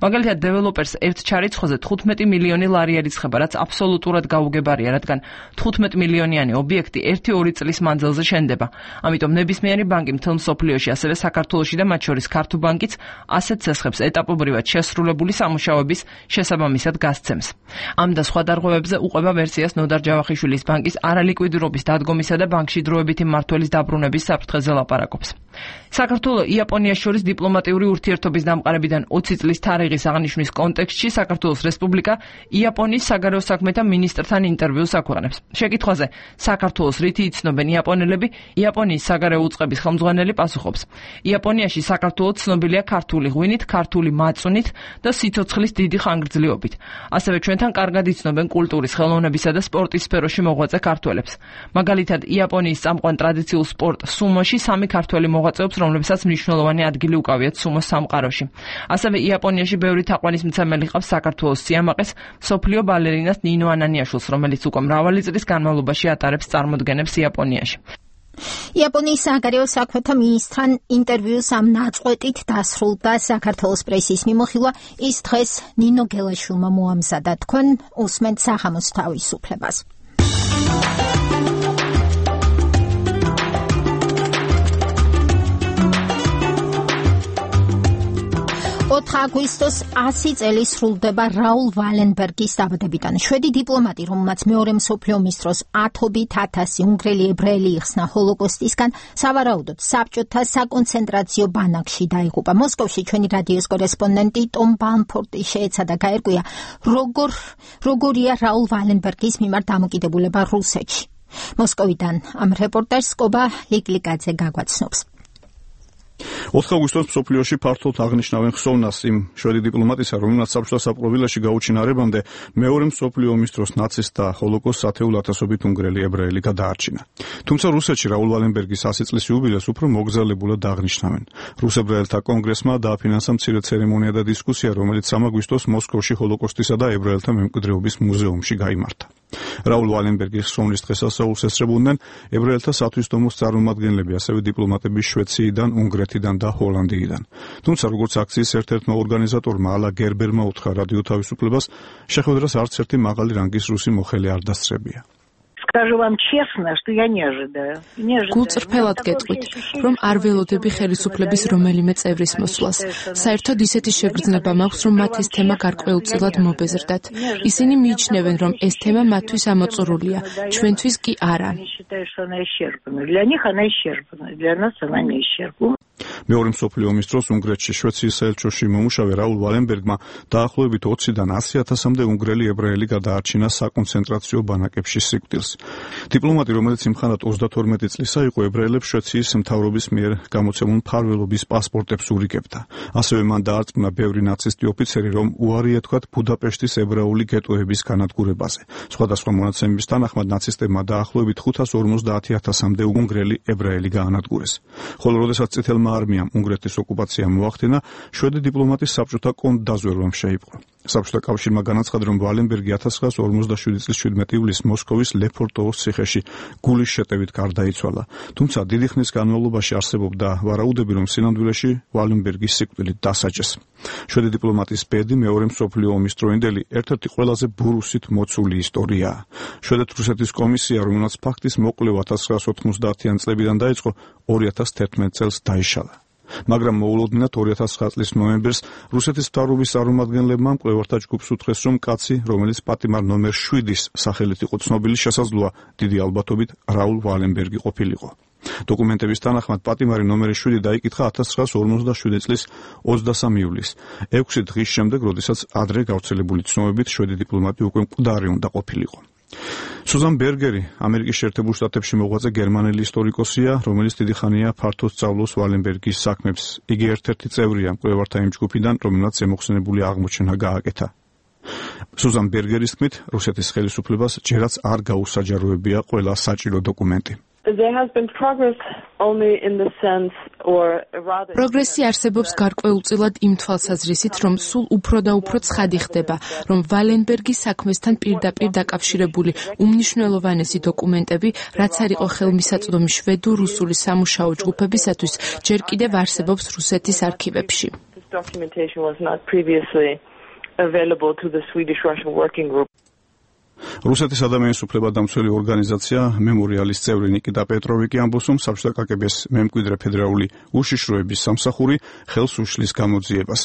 მაგალითად, დეველოპერს ერთ ჩარიცხოზე 15 მილიონი ლარი ერიცხება, რაც აბსოლუტურად გაუგებარია, რადგან 15 მილიონიანი ობიექტი 1-2 წლის მანძილზე შენდება. ამიტომ ნებისმიერი ბანკი მთელ მსოფლიოში, ასევე საქართველოში და მათ შორის ქართულ ბანკიც ასეთ ცესხებს ეტაპობრივად შესრულებული სამუშაოების შესაბამისად გასცემს. ამ და სხვა დარღვევებზე უყვება ვერსიას ნოდარ ჯავახიშვილის ბანკის არალიკვიდირობის დადგომისა და ბანკში დროებითი მმართველის დაბრუნების საფრთხეზე ლაპარაკობს. საქართველოს იაპონიას შორის დიპლომატიური ურთიერთობის დამყარებიდან 20 წლის თარიღის აღნიშვნის კონტექსტში საქართველოს რესპუბლიკა იაპონიის საგარეო საქმეთა მინისტრთან ინტერვიუს აქვეყნებს. შეკითხვაზე, საქართველოს რითი იცნობენ იაპონელები, იაპონიის საგარეო უწყების ხელმძღვანელი პასუხობს: იაპონიაში საქართველოს ცნობილია ქართული ღვინით, ქართული მაწვნით და სიცოცხლის დიდი ხანგრძლივობით. ასევე ჩვენთან კარგად იცნობენ კულტურის, ხელოვნებისა და სპორტის სფეროში მოღვაწე ქართველებს. მაგალითად, იაპონიის წამყვან ტრადიციულ სპორტ სუმოში 3 ქართველი მოღვაწეობს, რომლებსაც მნიშვნელოვანი ადგილი უკავიათ სუმოს სამყაროში. ასევე იაპონიაში ბევრი თაყვანისმცემელი ყავს საქართველოს სიამაყეს მსოფლიო ბალერინას ნინო ანანიაშვილს, რომელიც უკვე მრავალი წლის განმავლობაში ატარებს წარმოდგენებს იაპონიაში. იაპონიის საგარეო საქმეთა მინისტრთან ინტერვიუს ამ ნაწყვეტით დასრულდა საქართველოს პრესის მიმოხილვა. ის დღეს ნინო გელაშვილმა მოამზადა. თქვენ უსმენთ სახამოს თავისუფლებას. 4 აგვისტოს 100 წელი სრულდება რაულ ვალენბერგის დაბადებიდან. შვედი დიპლომატი, რომელმაც მეორე მსოფლიო ომის დროს ათობით 1000 უნგრელი ებრაელი იხსნა ჰოლოკოსტისგან, სავარაუდოდ საბჭოთა საკონცენტრაციო ბანაკში დაიღუპა. მოსკოვში ჩვენი რადიოს კორესპონდენტი ტომ ბალმფორტი შეეცადა გაერკვია, როგორია რაულ ვალენბერგის მიმართ დამოკიდებულება რუსეთში. მოსკოვიდან ამ რეპორტაჟს კობა ლიკლიკაძე გაგვაცნობს. 4 აგვისტოს მსოფლიოში ფართოდ აღნიშნავენ ხსოვნას იმ შვედი დიპლომატისა, რომელმაც საბჭოთა საპყრობილეში გაუჩინარებამდე მეორე მსოფლიო ომის დროს ნაცისტთა ჰოლოკოსტს ათეულ ათასობით უნგრელი ებრაელი გადაარჩინა. თუმცა რუსეთში რაულ ვალენბერგის 100 წლის იუბილეს უფრო მოგზაურებულად აღნიშნავენ. რუს ებრაელთა კონგრესმა დააფინანსა მცირე ცერემონია და დისკუსია, რომელიც 3 აგვისტოს მოსკოვში ჰოლოკოსტისა და ებრაელთა მემკვიდრეობის მუზეუმში გაიმართა. რაულ ვალენბერგის ხსოვნის დღესასწაულს ესწრებოდნენ ებრაელთა სათვისდომოს წარმომადგენლები, ასევე დიპლომატები შვეციიდან, უნგრეთიდან და ჰოლანდიიდან. თუმცა როგორც აქციის ერთ-ერთმა ორგანიზატორმა ალა გერბერმა უთხრა რადიო თავისუფლებას, შეხვედრას არც ერთი მაღალი რანგის რუსი მოხელე არ დასწრებია. გულწრფელად გეტყვით, რომ არ ველოდები ხელისუფლების რომელიმე წევრის მოსვლას. საერთოდ ისეთი შეგრძნება მაქვს, რომ მათ ეს თემა გარკვეულწილად მობეზრდათ. ისინი მიიჩნევენ, რომ ეს თემა მათთვის ამოწურულია, ჩვენთვის კი არა. მეორე მსოფლიო ომის დროს უნგრეთში შვეციის საელჩოში მომუშავე რაულ ვალენბერგმა დაახლოებით 20-დან 100,000-მდე უნგრელი ებრაელი გადაარჩინა საკონცენტრაციო ბანაკებში სიკვდილს. დიპლომატი, რომელიც იმხანად 32 წლისა იყო, ებრაელებს შვეციის მთავრობის მიერ გამოცემულ მფარველობის პასპორტებს ურიგებდა. ასევე მან დაარწმუნა ბევრი ნაცისტი ოფიცერი, რომ უარი ეთქვათ ბუდაპეშტის ებრაული გეტოების განადგურებაზე. სხვადასხვა მონაცემების თანახმად ნაცისტებმა დაახლოებით 550,000-მდე უნგრელი ებრაელი გაანადგურეს. ხოლო როდესაც წითელმა არმიამ უნგრეთის ოკუპაცია მოახდინა, შვედი დიპლომატის საბჭოთა კონტრდაზვერვამ შეიპყრო. საბჭოთა კავშირმა განაცხადა, რომ ვალენბერგი 1947 წლის 17 ივლისს მოსკოვის ლეფორტოვოს ციხეში გულის შეტევით გარდაიცვალა. თუმცა დიდი ხნის განმავლობაში არსებობდა ვარაუდები, რომ სინამდვილეში ვალენბერგის სიკვდილით დასაჯეს. შვედი დიპლომატის ბედი მეორე მსოფლიო ომის დროინდელი ერთ-ერთი ყველაზე ბურუსით მოცული ისტორიაა. შვედეთ-რუსეთის კომისია, რომელმაც ფაქტის მოკვლევა 1990-იან წლებიდან დაიწყო, 2011 წელს დაიშალა. მაგრამ მოულოდნელად 2009 წლის ნოემბერს რუსეთის მთავრობის წარმომადგენლებმა მკვლევართა ჯგუფს უთხრეს, რომ კაცი, რომელიც პატიმარ ნომერ 7-ის სახელით იყო ცნობილი, შესაძლოა დიდი ალბათობით რაულ ვალენბერგი ყოფილიყო. დოკუმენტების თანახმად პატიმარი ნომერი 7 დაიკითხა 1957 წლის 23 ივლისს, 6 დღის შემდეგ, როდესაც ადრე გავრცელებული ცნობებით შვედი დიპლომატი უკვე მკვდარი უნდა ყოფილიყო. სუზან ბერგერი, ამერიკის შეერთებულ შტატებში მოღვაწე გერმანელი ისტორიკოსია, რომელიც დიდი ხანია ფართოდ სწავლობს ვალენბერგის საქმებს. იგი ერთ-ერთი წევრია მკვლევართა იმ ჯგუფიდან, რომელმაც ზემოხსენებული აღმოჩენა გააკეთა. სუზან ბერგერის თქმით, რუსეთის ხელისუფლებას ჯერაც არ გაუსაჯაროებია ყველა საჭირო დოკუმენტი. პროგრესი არსებობს გარკვეულწილად იმ თვალსაზრისით, რომ სულ უფრო და უფრო ცხადი ხდება, რომ ვალენბერგის საქმესთან პირდაპირ დაკავშირებული უმნიშვნელოვანესი დოკუმენტები, რაც არ იყო ხელმისაწვდომი შვედურ-რუსული სამუშაო ჯგუფებისათვის, ჯერ კიდევ არსებობს რუსეთის არქივებში. რუსეთის ადამიანის უფლებადამცველი ორგანიზაცია მემორიალის წევრი ნიკიტა პეტროვი კი ამბობს, რომ საბჭოთა კგბ-ს მემკვიდრე ფედერალური უშიშროების სამსახური ხელს უშლის გამოძიებას.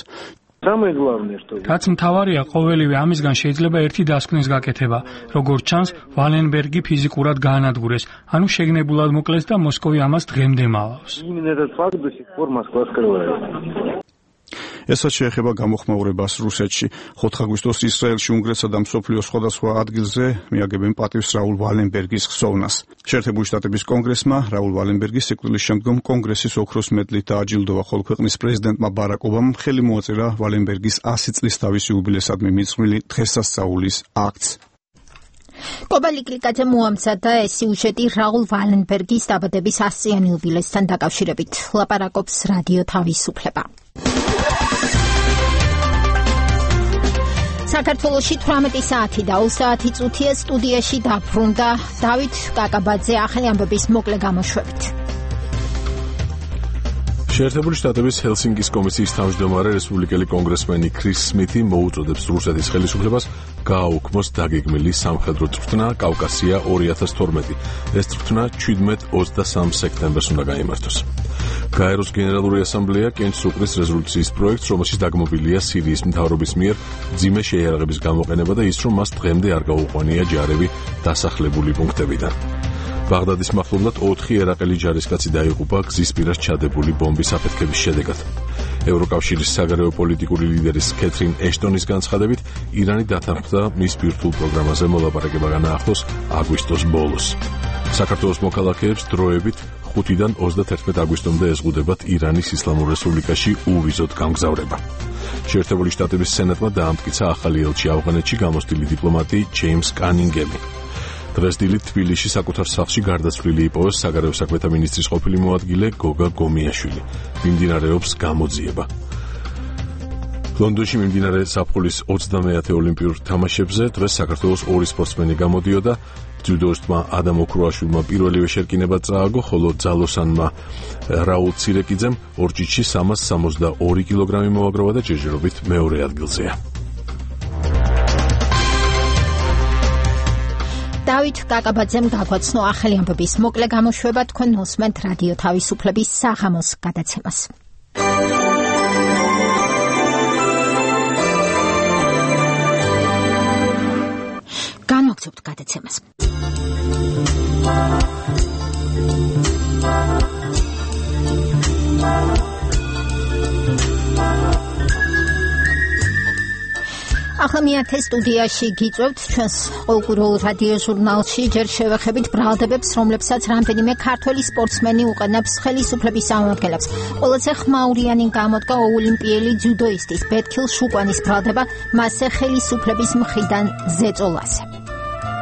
რაც მთავარია, ყოველივე ამისგან შეიძლება ერთი დასკვნის გაკეთება. როგორც ჩანს, ვალენბერგი ფიზიკურად გაანადგურეს, ანუ შეგნებულად მოკლეს და მოსკოვი ამას დღემდე მალავს. ესაც შეეხება გამოხმაურებას რუსეთში. 4 აგვისტოს ისრაელში, უნგრეთსა და მსოფლიოს სხვადასხვა ადგილზე მიაგებენ პატივს რაულ ვალენბერგის ხსოვნას. შეერთებული შტატების კონგრესმა რაულ ვალენბერგის სიკვდილის შემდგომ კონგრესის ოქროს მედლით დააჯილდოვა, ხოლო ქვეყნის პრეზიდენტმა ბარაკ ობამამ ხელი მოაწერა ვალენბერგის 100 წლის თავის იუბილესადმი მიძღვნილი დღესასწაულის აქტს. კობალი კლიკაძე მოამზადა ეს სიუჟეტი რაულ ვალენბერგის დაბადების 100-იან იუბილესთან დაკავშირებით. ლაპარაკობს რადიო თავისუფლება. საქართველოში 18 საათი და 20 წუთია სტუდიაში დაბრუნდა დავით კაკაბაძე ახალი ამბების მოკლე გამოშვებით. შეერთებული შტატების ჰელსინკის კომისიის თავმჯდომარე რესპუბლიკელი კონგრესმენი ქრის სმითი მოუწოდებს რუსეთის ხელისუფლებას გააუქმოს დაგეგმილი სამხედრო წვრთნა კავკასია 2012. ეს წვრთნა 17-23 სექტემბერს უნდა გაიმართოს. გაეროს გენერალური ასამბლეა კენჭს უყრის რეზოლუციის პროექტს, რომელშიც დაგმობილია სირიის მთავრობის მიერ მძიმე შეიარაღების გამოყენება და ის, რომ მას დღემდე არ გაუყვანია ჯარები დასახლებული პუნქტებიდან. ბაღდადის მახლობლად 4 ერაყელი ჯარისკაცი დაიღუპა გზისპირას ჩადებული ბომბის აფეთქების შედეგად. ევროკავშირის საგარეო პოლიტიკური ლიდერის კეთრინ ეშტონის განცხადებით, ირანი დათანხმდა მის ბირთვულ პროგრამაზე მოლაპარაკება განაახლოს აგვისტოს ბოლოს. საქართველოს მოქალაქეებს დროებით 5-დან 31 აგვისტომდე ეზღუდებათ ირანის ისლამურ რესპუბლიკაში უვიზოდ გამგზავრება. შეერთებული შტატების სენატმა დაამტკიცა ახალი ელჩი ავღანეთში გამოსტილი დიპლომატი ჯეიმს კანინგემი. დღეს დილით თბილისში საკუთარ სახლში გარდაცვლილი იპოვეს საგარეო საქმეთა მინისტრის ყოფილი მოადგილე გოგა გომიაშვილი. მიმდინარეობს გამოძიება. ლონდონში მიმდინარე ზაფხულის 20-ე ოლიმპიურ თამაშებზე დღეს საქართველოს 2 სპორტსმენი გამოდიოდა. ჯუდოისტმა ადამ ოქროაშვილმა პირველივე შერკინება წააგო, ხოლო ძალოსანმა რაულ ცირეკიძემ ორჯიში 362 კილოგრამი მოაგროვა და ჯერჯერობით მეორე ადგილზეა. დავით კაკაბაძემ გაგვაცნო ახალი ამბების მოკლე გამოშვება, თქვენ მოსმენთ რადიო თავისუფლების საღამოს გადაცემას. განვაგრძობთ გადაცემას. ახლა მიათე სტუდიაში გიწევთ ჩვენს ყოველკვირეულ რადიო ჟურნალში. ჯერ შევეხებით ბრალდებებს, რომლებსაც რამდენიმე ქართველი სპორტსმენი უყენებს ხელისუფლების წარმომადგენლებს. ყველაზე ხმაურიანი გამოდგა ოლიმპიელი ჯუდოისტის ბეთქილ შუკვანის ბრალდება, მასზე ხელისუფლების მხრიდან ზეწოლაზე.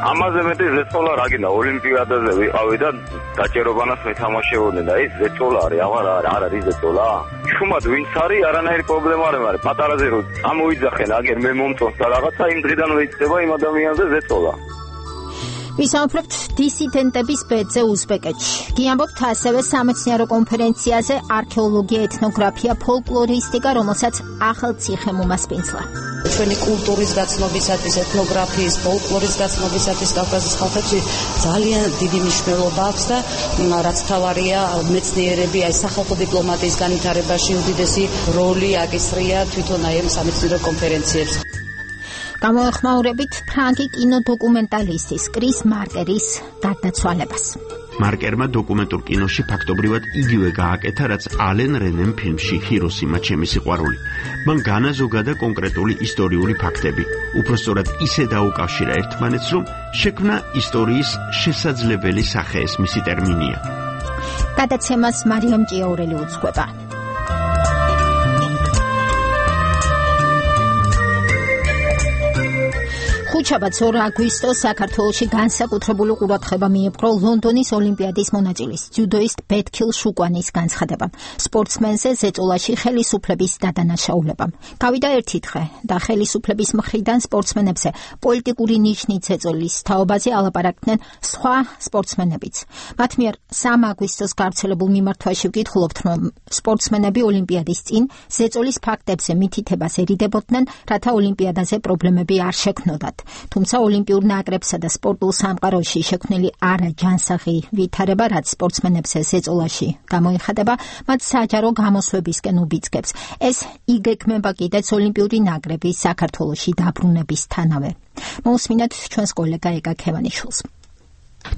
ამაზე მეტი ზეწოლა რა გინდა, ოლიმპიადაზე ვიყავი და დაჭერობანას მეთამაშებოდნენ და ეს ზეწოლა არის, არ არის ზეწოლა. შუმად ვინც არის, არანაირი პრობლემა არ არის, პატარაზე რო წამოიძახენ, აგერ მე მომწონს და რაღაცა, იმ დღიდანვე იქნება იმ ადამიანზე ზეწოლა. ვისაუბრებთ დისიდენტების ბედზე უზბეკეთში. გიამბობთ ასევე სამეცნიერო კონფერენციაზე არქეოლოგია, ეთნოგრაფია, ფოლკლორისტიკა, რომელსაც ახალციხე მომასპინძლა. ჩვენი კულტურის გაცნობისათვის, ეთნოგრაფიის, ფოლკლორის გაცნობისათვის კავკასიის ხალხებში ძალიან დიდი მნიშვნელობა აქვს და რაც თავარია, მეცნიერები აი სახალხო დიპლომატიის განვითარებაში უდიდესი როლი აკისრია თვითონ აი ამ სამეცნიერო კონფერენციებს. გამოეხმაურებით ფრანგი კინოდოკუმენტალისტის კრის მარკერის გარდაცვალებას. მარკერმა დოკუმენტურ კინოში ფაქტობრივად იგივე გააკეთა, რაც ალენ რენემ ფილმში ჰიროსიმა ჩემი სიყვარული. მან განაზოგა და კონკრეტული ისტორიული ფაქტები. უпростоრად ისე დაუკავშირა ერთმანეთს, რომ შექმნა ისტორიის შესაძლებელი სახე ეს მისი ტერმინია. გადაცემას მარიამ ჭიაურელი უძღვება. ხუთშაბათს 2 აგვისტოს საქართველოში განსაკუთრებული ყურადღება მიეპყრო ლონდონის ოლიმპიადის მონაწილის ძიუდოისტ ბეთქილ შუკვანის განცხადებამ. სპორტსმენზე ზეწოლაში ხელისუფლების დადანაშაულებამ. გავიდა ერთი დღე და ხელისუფლების მხრიდან სპორტსმენებზე პოლიტიკური ნიშნით ზეწოლის თაობაზე ალაპარაკდნენ სხვა სპორტსმენებიც. მათ მიერ 3 აგვისტოს გავრცელებულ მიმართვაში ვკითხულობთ, რომ სპორტსმენები ოლიმპიადის წინ ზეწოლის ფაქტებზე მითითებას ერიდებოდნენ, რათა ოლიმპიადაზე პრობლემები არ შექმნოდათ. თუმცა ოლიმპიურ ნაკრებსა და სპორტულ სამყაროში შექმნილი არაჯანსაღი ვითარება, რაც სპორტსმენებზე ზეწოლაში გამოიხადება, მათ საჯარო გამოსვლებისკენ უბიძგებს. ეს იგეგმება კიდეც ოლიმპიური ნაკრების საქართველოში დაბრუნებისთანავე. მოусმინეთ ჩვენს კოლეგა ეკა ქევანიშვილს.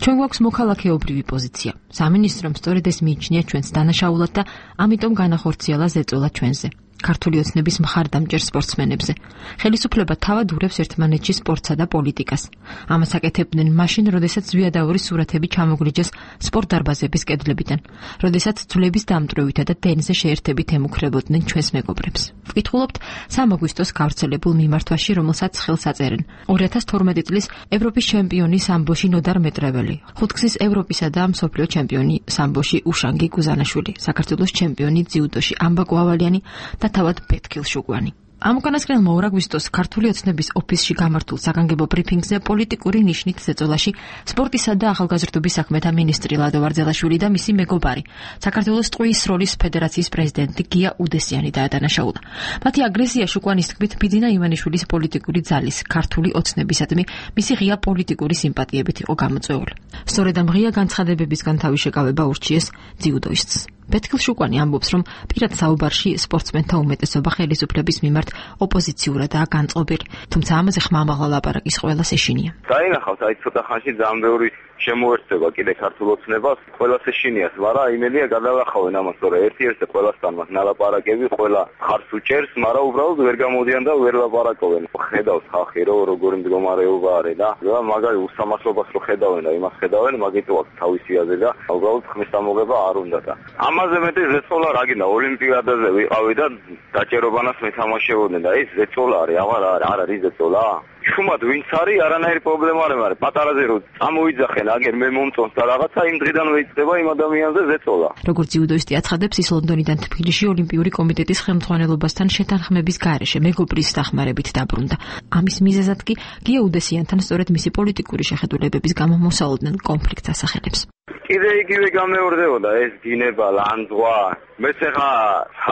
ჩვენ გვაქვს მოქალაქეობრივი პოზიცია. სამინისტრომ სწორედ ეს მიიჩნია ჩვენს დანაშაულად და ამიტომ განახორციელა ზეწოლა ჩვენზე. ქართული ოცნების მხარდამჭერ სპორტსმენებზე. ხელისუფლება თავად ურევს ერთმანეთში სპორტსა და პოლიტიკას. ამას აკეთებდნენ მაშინ, როდესაც ზვიადაურის სურათები ჩამოგლიჯეს სპორტ დარბაზების კედლებიდან, როდესაც ძვლების დამტვრევითა და ტენზე შეერთებით ემუქრებოდნენ ჩვენს მეგობრებს. ვკითხულობთ 3 აგვისტოს გავრცელებულ მიმართვაში, რომელსაც ხელს აწერენ 2012 წლის ევროპის ჩემპიონი სამბოში ნოდარ მეტრეველი, ხუთგზის ევროპისა და მსოფლიო ჩემპიონი სამბოში უშანგი გუზანაშვილი, საქართველოს ჩემპიონი ძიუდოში ამბა ყვავალიანი და თავად ბეთქილ შუკვანი. ამ უკანასკნელმა 2 აგვისტოს ქართული ოცნების ოფისში გამართულ საგანგებო ბრიფინგზე პოლიტიკური ნიშნით ზეწოლაში სპორტისა და ახალგაზრდობის საქმეთა მინისტრი ლადო ვარძელაშვილი და მისი მეგობარი, საქართველოს ტყვიის როლის ფედერაციის პრეზიდენტი გია უდესიანი დაადანაშაულა. მათი აგრესია შუკვანის თქმით ბიძინა ივანიშვილის პოლიტიკური ძალის ქართული ოცნებისადმი მისი ღია პოლიტიკური სიმპათიებით იყო გამოწვეული. სწორედ ამ ღია განცხადებებისგან თავი შეკავება ურჩიეს ძიუდოისტს. ბეთქილ შუკვანი ამბობს, რომ პირად საუბარში სპორტსმენთა უმეტესობა ხელისუფლების მიმართ ოპოზიციურადაა განწყობილი, თუმცა ამაზე ხმამაღლა ლაპარაკის ყველას ეშინია. დაინახავთ, აი ცოტა ხანში ძალიან ბევრი შემოერთება კიდე ქართულ ოცნებას, ყველას ეშინიათ, მაგრამ იმედია გადავახავენ ამას, რომ ერთ-ერთი ყველასთან მას ნალაპარაკები, ყველა ხარს უჭერს, მაგრამ უბრალოდ ვერ გამოდიან და ვერ ლაპარაკობენ. ხედავს ხალხი, რომ როგორი მდგომარეობა არის და მაგარი უსამართლობას რო ხედავენ და იმას ხედავენ, მაგიტო აქვს თავისი აზრი და უბრალოდ ხმის დამოღება არ უნდა და ამაზე მეტი ზეწოლა რა გინდა, ოლიმპიადაზე ვიყავი და დაჭერობანას მეთამაშებოდნენ და ეს ზეწოლა არის, არ არის ზეწოლა. შუმად ვინც არის, არანაირი პრობლემა არ არის, პატარაზე რო წამოიძახენ, აგერ მე მომწონს და რაღაცა იმ დღიდანვე იწყება იმ ადამიანზე ზეწოლა. როგორც ძიუდოისტი აცხადებს, ის ლონდონიდან თბილისში ოლიმპიური კომიტეტის ხელმძღვანელობასთან შეთანხმების გარეშე მეგობრის დახმარებით დაბრუნდა. ამის მიზეზად კი გია უდესიანთან სწორედ მისი პოლიტიკური შეხედულებების გამო მოსალოდნენ კონფლიქტს ასახელებს. კიდე იგივე გამეორდებოდა ეს დინება, ლანძღვა. მეც ახლა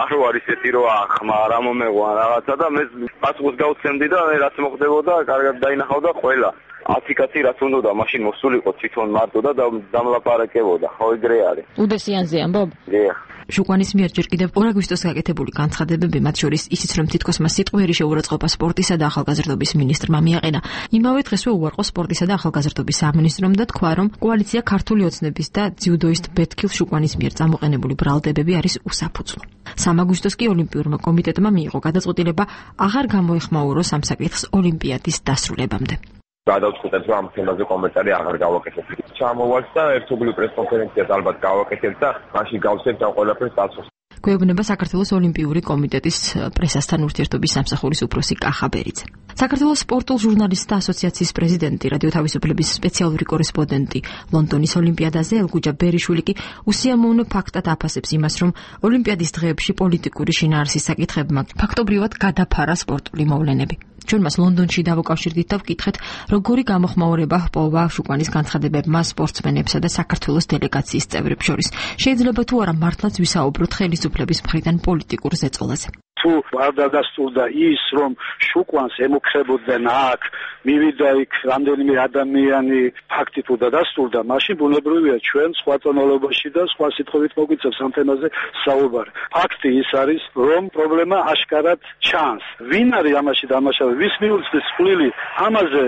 არ ვარ ისეთი რომ ახმა რა მომეღვა რაღაცა და მე პასუხს გავცემდი და რაც მოხდებოდა, კარგად დაინახავდა ყველა. 10 კაცი რაც უნდა მაშინ მოსულიყო თვითონ მარტო და დამლაპარაკებოდა. ხო ეგრე არის. უდესიანზე ამბობ? დიახ. შუკვანის მიერ ჯერ კიდევ 2 აგვისტოს გაკეთებული განცხადებები, მათ შორის ისიც, რომ თითქოს მას სიტყვიერი შეურაცხყოფა სპორტისა და ახალგაზრდობის მინისტრმა მიაყენა. იმავე დღესვე უარყო სპორტისა და ახალგაზრდობის სამინისტრომ და თქვა, რომ კოალიცია ქართული ოცნების და ძიუდოისტ ბეთქილ შუკვანის მიერ წამოყენებული ბრალდებები არის უსაფუძვლო. 3 აგვისტოს კი ოლიმპიურმა კომიტეტმა მიიღო გადაწყვეტილება აღარ გამოეხმაუროს ამ საკითხს ოლიმპიადის დასრულებამდე. გადავწყვეტეთ, რომ ამ თემაზე კომენტარი აღარ გავაკეთებ. ჩამოვალთ და ერთობლივ პრესკონფერენციას ალბათ გავაკეთებ და მაშინ გავცემთ ამ ყველაფერს დაცვას. გვეუბნება საქართველოს ოლიმპიური კომიტეტის პრესასთან ურთიერთობის სამსახურის უფროსი კახა ბერიძე. საქართველოს სპორტულ ჟურნალისტთა ასოციაციის პრეზიდენტი, რადიო თავისუფლების სპეციალური კორესპონდენტი ლონდონის ოლიმპიადაზე ელგუჯა ბერიშვილი კი უსიამოვნო ფაქტად აფასებს იმას, რომ ოლიმპიადის დღეებში პოლიტიკური შინაარსის საკითხებმა ფაქტობრივად გადაფარა სპორტული მოვლენები. ჩვენ მას ლონდონში დავუკავშირდით და ვკითხეთ, როგორი გამოხმაურება ჰპოვა შუკვანის განცხადებებმა სპორტსმენებსა და საქართველოს დელეგაციის წევრებს შორის. შეიძლება თუ არა მართლაც ვისაუბროთ ხელისუფლების მხრიდან პოლიტიკურ ზეწოლაზე. თუ არ დადასტურდა ის, რომ შუკვანს ემუქრებოდნენ აქ, მივიდა იქ რამდენიმე ადამიანი, ფაქტი თუ დადასტურდა, მაშინ ბუნებრივია ჩვენ სხვა ტონალობაში და სხვა სიტყვებით მოგვიწევს ამ თემაზე საუბარი. ფაქტი ის არის, რომ პრობლემა აშკარად ჩანს. ვინ არის ამაში დამაშავე, ვის მიუძღვის წვლილი, ამაზე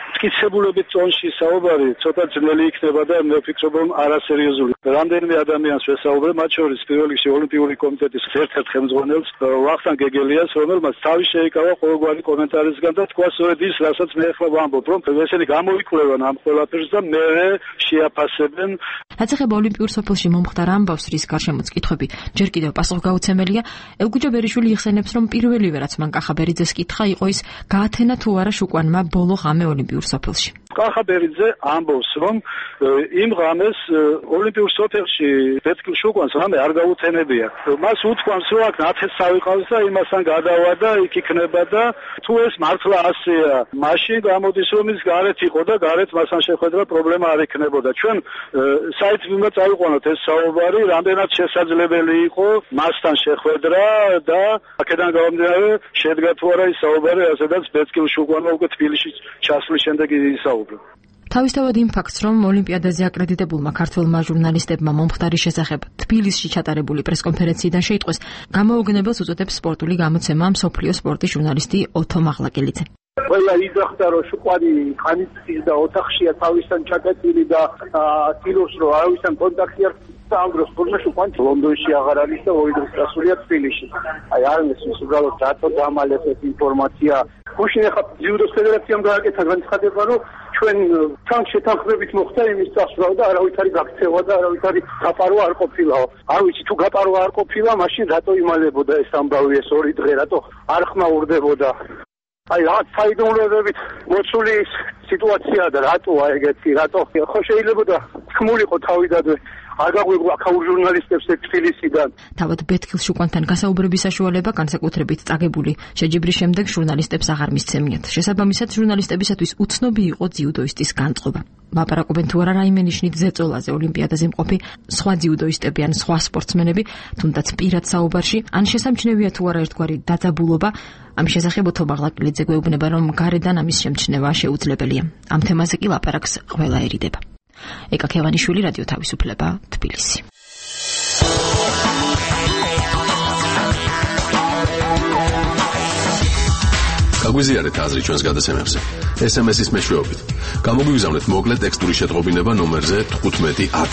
მტკიცებულობით წონში საუბარი ცოტა ძნელი იქნება და მე ვფიქრობ, რომ არასერიოზული. რამდენიმე ადამიანს ვესაუბრე, მათ შორის პირველ რიგში ოლიმპიური კომიტეტის ერთ-ერთ ხელმძღვანელს, ვახტანგ გეგელიას, რომელმაც თავი შეიკავა ყოველგვარი კომენტარისგან და თქვა სწორედ ის, რასაც მე ახლა ვამბობ, რომ ესენი გამოიკვლევენ ამ ყველაფერს და მე შეაფასებენ. რაც ეხება ოლიმპიურ სოფელში მომხდარ ამბავს, რის გარშემოც კითხვები ჯერ კიდევ პასუხგაუცემელია, ევგუჯა ბერიშვილი იხსენებს, რომ პირველივე რაც მან კახაბერიძეს კითხა იყო ის, გაათენა თუ არა შუკვანმა ბოლო ღამე ოლიმპიურ სოფელში. კახაბერიძე ამბობს, რომ იმ ღამეს ოლიმპიურ სოფელში ბეთქილ შუკვანს ღამე არ გაუთენებია. მას უთქვამს, რომ აქ ნათესავი ყავს და იმასთან გადავა და იქ იქნება და თუ ეს მართლა ასეა, მაშინ გამოდის, რომ ის გარეთ იყო და გარეთ მასთან შეხვედრა პრობლემა არ იქნებოდა. ჩვენ საერთოდ წავიყვანოთ ეს საუბარი, რამდენად შესაძლებელი იყო მასთან შეხვედრა და აქედან გამომდინარე შედგა თუ არა ის საუბარი, ასედაც ბეთქილ შუკვანმა უკვე თბილისში ჩასვლის შემდეგ ისაუბრა. თავისთავად იმ ფაქტს, რომ ოლიმპიადაზე აკრედიტებულმა ქართველმა ჟურნალისტებმა მომხდარის შესახებ თბილისში ჩატარებული პრესკონფერენციიდან შეიტყვეს, გამოუგნებელს უწოდებს სპორტული გამოცემა მსოფლიო სპორტის ჟურნალისტი ოთო მაღლაკელიძე. ყველა იძახდა, რომ შუკვანი ყანიწის და ოთახშია თავისთან ჩაკეტილი და ცდილობს, რომ არავისთან კონტაქტი არ ამ დროს თურმე შუკვანი ლონდონში აღარ არის და ორი დღის წასულია თბილისში. აი არ მესმის უბრალოდ რატო დამალეს ეს ინფორმაცია. გუშინ ახლა ძიუდოს ფედერაციამ გააკეთა განცხადება, რომ ჩვენ თან შეთანხმებით მოხდა იმის წასვლა და არავითარი გაქცევა და არავითარი გაპარვა არ ყოფილაო. არ ვიცი თუ გაპარვა არ ყოფილა, მაშინ რატო იმალებოდა ეს ამბავი ეს ორი დღე, რატო არ ხმაურდებოდა. აი რა საიდუმლოებით მოცული სიტუაცია და რატოა ეგეთი, რატო ხო შეიძლება თქმულიყო თავიდანვე არ გაგვიგო აქაურ ჟურნალისტებს თბილისიდან. თავად ბეთქილ შუკვანთან გასაუბრების საშუალება განსაკუთრებით წაგებული შეჯიბრის შემდეგ ჟურნალისტებს აღარ მისცემიათ. შესაბამისად ჟურნალისტებისათვის უცნობი იყო ძიუდოისტის განწყობა. ლაპარაკობენ თუ არა რაიმე ნიშნით ზეწოლაზე ოლიმპიადაზე მყოფი სხვა ძიუდოისტები ან სხვა სპორტსმენები, თუნდაც პირად საუბარში, ან შესამჩნევია თუ არა ერთგვარი დაძაბულობა. ამის შესახებ ოთო მაღლაკელიძე გვეუბნება, რომ გარედან ამის შემჩნევა შეუძლებელია. ამ თემაზე კი ლაპარაკს ყველა ერიდება. ეკა ქევანიშვილი, რადიო თავისუფლება, თბილისი. გაგვიზიარეთ აზრი ჩვენს გადაცემებზე. SMS-ის მეშვეობით. გამოგვიგზავნეთ მოკლე ტექსტური შეტყობინება ნომერზე 1510.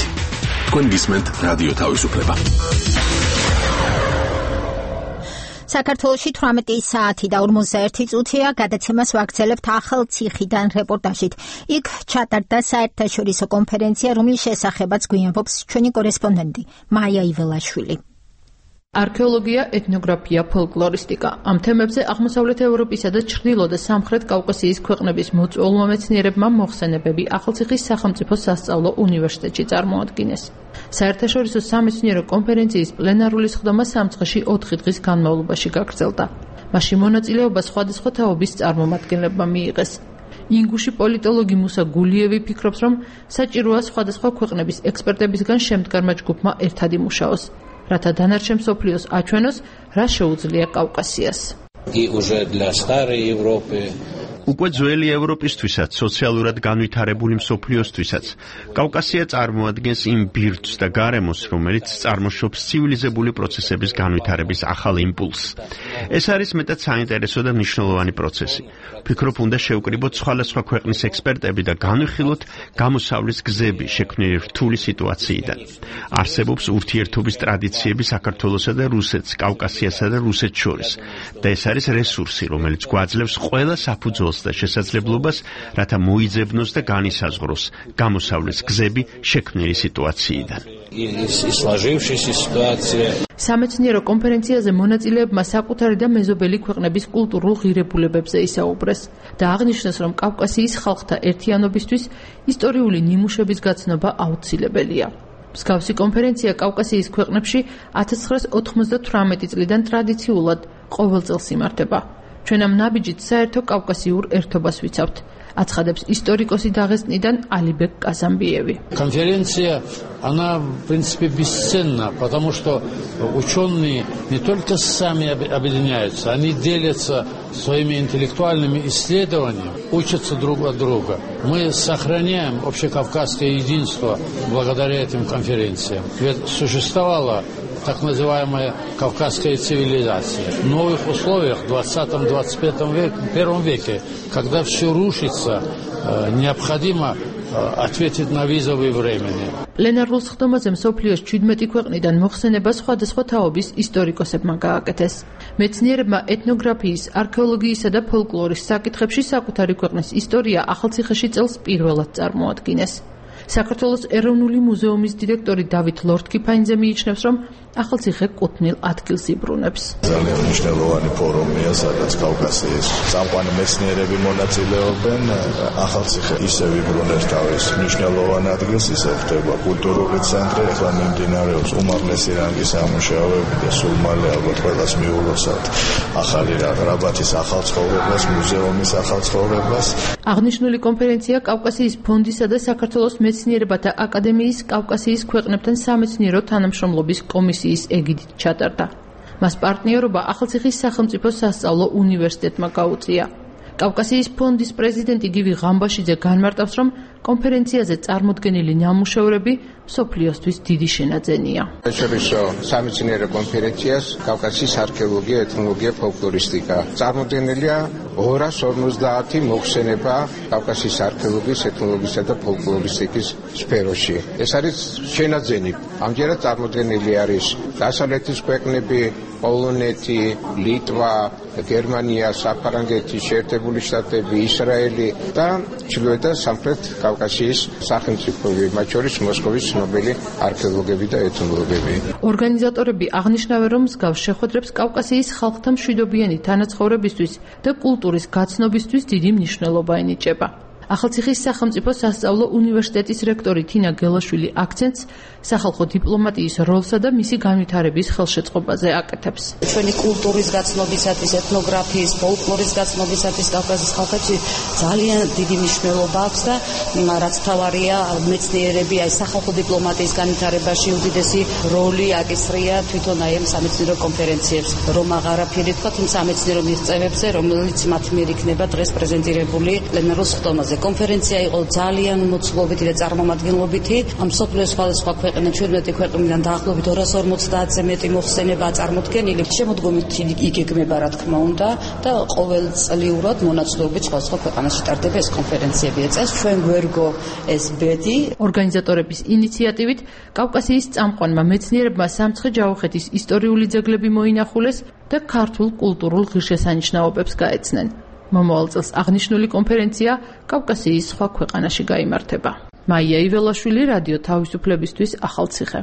თქვენ გისმენთ რადიო თავისუფლება. საქართველოში 18 საათი და 41 წუთია გადაცემას ვაგრძელებთ ახალციხიდან რეპორტაჟით. იქ ჩატარდა საერთაშორისო კონფერენცია, რომლის შესახებაც გვიამბობს ჩვენი კორესპონდენტი მაია იველაშვილი. არქეოლოგია, ეთნოგრაფია, ფოლკლორისტიკა. ამ თემებზე აღმოსავლეთ ევროპისა და ჩრდილო და სამხრეთ კავკასიის ქვეყნების მოწვეულმა მეცნიერებმა მოხსენებები ახალციხის სახელმწიფო სასწავლო უნივერსიტეტში წარმოადგინეს. საერთაშორისო სამეცნიერო კონფერენციის პლენარული სხდომა სამცხეში 4 დღის განმავლობაში გაგრძელდა. მასში მონაწილეობა სხვადასხვა თაობის წარმომადგენლებმა მიიღეს. ინგუში პოლიტოლოგი მუსა გულიევი ფიქრობს, რომ საჭიროა სხვადასხვა ქვეყნების ექსპერტებისგან შემდგარმა ჯგუფმა ერთად იმუშაოს, რათა დანარჩენ მსოფლიოს აჩვენოს, რა შეუძლია კავკასიას. უკვე ძველი ევროპისთვისაც, სოციალურად განვითარებული მსოფლიოსთვისაც, კავკასია წარმოადგენს იმ ბირთვს და გარემოს, რომელიც წარმოშობს ცივილიზებული პროცესების განვითარების ახალ იმპულსს. ეს არის მეტად საინტერესო და მნიშვნელოვანი პროცესი. ვფიქრობ, უნდა შევკრიბოთ სხვადასხვა ქვეყნის ექსპერტები და განვიხილოთ გამოსავლის გზები შექმნილი რთული სიტუაციიდან. არსებობს ურთიერთობის ტრადიციები საქართველოსა და რუსეთს, კავკასიასა და რუსეთს შორის და ეს არის რესურსი, რომელიც გვაძლევს ყველა საფუძველს და შესაძლებლობას, რათა მოიძებნოს და განისაზღვროს გამოსავლის გზები შექმნილი სიტუაციიდან. სამეცნიერო კონფერენციაზე მონაწილეებმა საკუთარი და მეზობელი ქვეყნების კულტურულ ღირებულებებზე ისაუბრეს და აღნიშნეს, რომ კავკასიის ხალხთა ერთიანობისთვის ისტორიული ნიმუშების გაცნობა აუცილებელია. მსგავსი კონფერენცია კავკასიის ქვეყნებში 1998 წლიდან ტრადიციულად ყოველ წელს იმართება. ჩვენ ამ ნაბიჯით საერთო კავკასიურ ერთობას ვიცავთ, აცხადებს ისტორიკოსი დაღესტნიდან ალიბეკ казамбиеви. Конференция, она, в принципе, бесценна, потому что ученые не только сами объединяются, они делятся своими интеллектуальными исследованиями, учатся друг от друга. Мы сохраняем общекавказское единство благодаря этим конференциям. Ведь существовало так называемая кавказская цивилизация. В новых условиях в 20-21 веке, когда все рушится, необходимо ответить на визовые времени. პლენარულ სხდომაზე მსოფლიოს 17 ქვეყნიდან მოხსენება სხვადასხვა თაობის ისტორიკოსებმა გააკეთეს. მეცნიერებმა ეთნოგრაფიის, არქეოლოგიისა და ფოლკლორის საკითხებში საკუთარი ქვეყნის ისტორია ახალციხეში წელს პირველად წარმოადგინეს. საქართველოს ეროვნული მუზეუმის დირექტორი დავით ლორთქიფაინძე მიიჩნევს, რომ ახალციხე კუთვნილ ადგილს იბრუნებს. ძალიან მნიშვნელოვანი ფორუმია, სადაც კავკასიის წამყვანი მეცნიერები მონაწილეობენ. ახალციხე ისევ იბრუნებს თავის მნიშვნელოვან ადგილს, ისევ ხდება კულტურული ცენტრი, ახლა მიმდინარეობს უმაღლესი რანგის სამუშაოები და სულ მალე ალბათ ყველას მიულოცავთ ახალი რაბათის ახალ ცხოვრებას, მუზეუმის ახალ ცხოვრებას. აღნიშნული კონფერენცია კავკასიის ფონდისა და საქართველოს მეცნიერებათა აკადემიის კავკასიის ქვეყნებთან სამეცნიერო თანამშრომლობის კომისიის ეგიდით ჩატარდა. მას პარტნიორობა ახალციხის სახელმწიფო სასწავლო უნივერსიტეტმა გაუწია. კავკასიის ფონდის პრეზიდენტი გივი ღამბაშიძე განმარტავს, რომ კონფერენციაზე წარმოდგენილი ნამუშევრები მსოფლიოსთვის დიდი შენაძენია. საერთაშორისო სამეცნიერო კონფერენციას კავკასიის არქეოლოგია, ეთნოლოგია, ფოლკლორისტიკა. წარმოდგენილია 250 მოხსენება კავკასიის არქეოლოგიის, ეთნოლოგიისა და ფოლკლორისტიკის სფეროში. ეს არის შენაძენი. ამჯერად წარმოდგენილი არის დასავლეთის ქვეყნები, პოლონეთი, ლიტვა, გერმანია, საფრანგეთი, შეერთებული შტატები, ისრაელი და ჩრდილოეთ და სამხრეთ კავკასიის სახელმწიფოები, მათ შორის მოსკოვის ცნობილი არქეოლოგები და ეთნოლოგები. ორგანიზატორები აღნიშნავენ, რომ მსგავს შეხვედრებს კავკასიის ხალხთა მშვიდობიანი თანაცხოვრებისთვის და კულტურის გაცნობისთვის დიდი მნიშვნელობა ენიჭება. ახალციხის სახელმწიფო სასწავლო უნივერსიტეტის რექტორი თინა გელაშვილი აქცენტს სახალხო დიპლომატიის როლსა და მისი განვითარების ხელშეწყობაზე აკეთებს. ჩვენი კულტურის გაცნობისათვის, ეთნოგრაფიის, ფოლკლორის გაცნობისათვის კავკასიის ხალხებში ძალიან დიდი მნიშვნელობა აქვს და რაც თავარია, მეცნიერები აი სახალხო დიპლომატიის განვითარებაში უდიდესი როლი აკისრია თვითონ აი ამ სამეცნიერო კონფერენციებს, რომ აღარაფერი თქვა იმ სამეცნიერო მიღწევებზე, რომელიც მათ მიერ იქნება დღეს პრეზენტირებული პლენარულ სხდომაზე. კონფერენცია იყო ძალიან მოცულობითი და წარმომადგენლობითი. ამ მსოფლიოს სხვადასხვა ქვეყნიდან 17 ქვეყნიდან დაახლოებით 250-ზე მეტი მოხსენება წარმოდგენილი. შემოდგომით იგეგმება რა თქმა უნდა და ყოველწლიურად მონაცვლეობით სხვადასხვა ქვეყანაში ტარდება ეს კონფერენციები. წელს ჩვენ გვერგო ეს ბედი. ორგანიზატორების ინიციატივით კავკასიის წამყვანმა მეცნიერებმა სამცხე-ჯავახეთის ისტორიული ძეგლები მოინახულეს და ქართულ კულტურულ ღირსშესანიშნაობებს გაეცნენ. მომავალ წელს აღნიშნული კონფერენცია კავკასიის სხვა ქვეყანაში გაიმართება. მაია იველაშვილი, რადიო თავისუფლებისთვის, ახალციხე.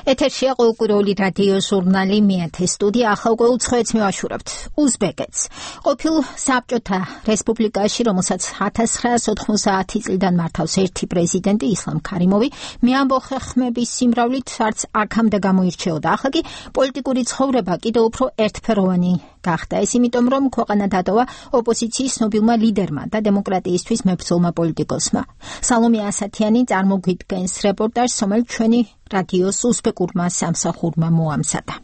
ეთერშია ყოველკვირეული რადიო ჟურნალი მეათე სტუდია. ახალ უცხოეთს მივაშურებთ უზბეკეთს. ყოფილ საბჭოთა რესპუბლიკაში, რომელსაც 1990 წლიდან მართავს ერთი პრეზიდენტი ისლამ ქარიმოვი, მეამბოხე ხმების სიმრავლით არც აქამდე გამოირჩეოდა. ახლა კი პოლიტიკური ცხოვრება კიდევ უფრო ერთფეროვანი გახდა. ეს იმიტომ, რომ ქვეყანა დატოვა ოპოზიციის ცნობილმა ლიდერმა და დემოკრატიისთვის მებრძოლმა პოლიტიკოსმა. სალომე ასათიანი წარმოგვიდგენს რეპორტაჟს, რომელიც ჩვენი რადიოს უზბეკურმა სამსახურმა მოამზადა.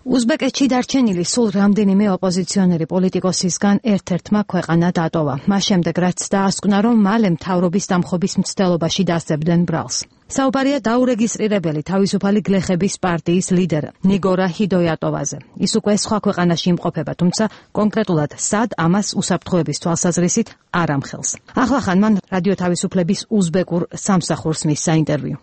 უზბეკეთში დარჩენილი სულ რამდენიმე ოპოზიციონერი პოლიტიკოსისგან ერთ-ერთმა ქვეყანა დატოვა. მას შემდეგ რაც დაასკვნა, რომ მალე მთავრობის დამხობის მცდელობაში დასწებდნენ ბრალს. საუბარია დაურეგისტრირებელი თავისუფალი გლეხების პარტიის ლიდერ ნიგორა ჰიდოიატოვაზე. ის უკვე სხვა ქვეყანაში იმყოფება, თუმცა კონკრეტულად სად ამას უსაფრთხოების თვალსაზრისით არ ამხელს. ახლახან მან რადიო თავისუფლების უზბეკურ სამსახურს მისცა ინტერვიუ.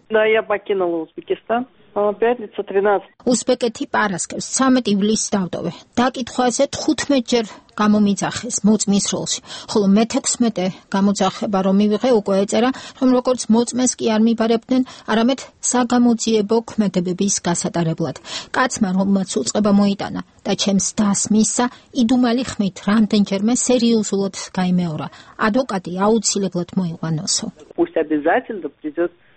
უზბეკეთი პარასკევს 13 ივლისს დავტოვე. დაკითხვაზე 15 ჯერ გამომიძახეს მოწმის როლში, ხოლო მე-16 გამოძახება რომ მივიღე უკვე ეწერა, რომ როგორც მოწმეს კი არ მიბარებდნენ, არამედ საგამოძიებო ქმედებების გასატარებლად. კაცმა რომელმაც უწყება მოიტანა და ჩემს დას მისცა, იდუმალი ხმით რამდენჯერმე სერიოზულად გაიმეორა. ადვოკატი აუცილებლად მოიყვანოსო.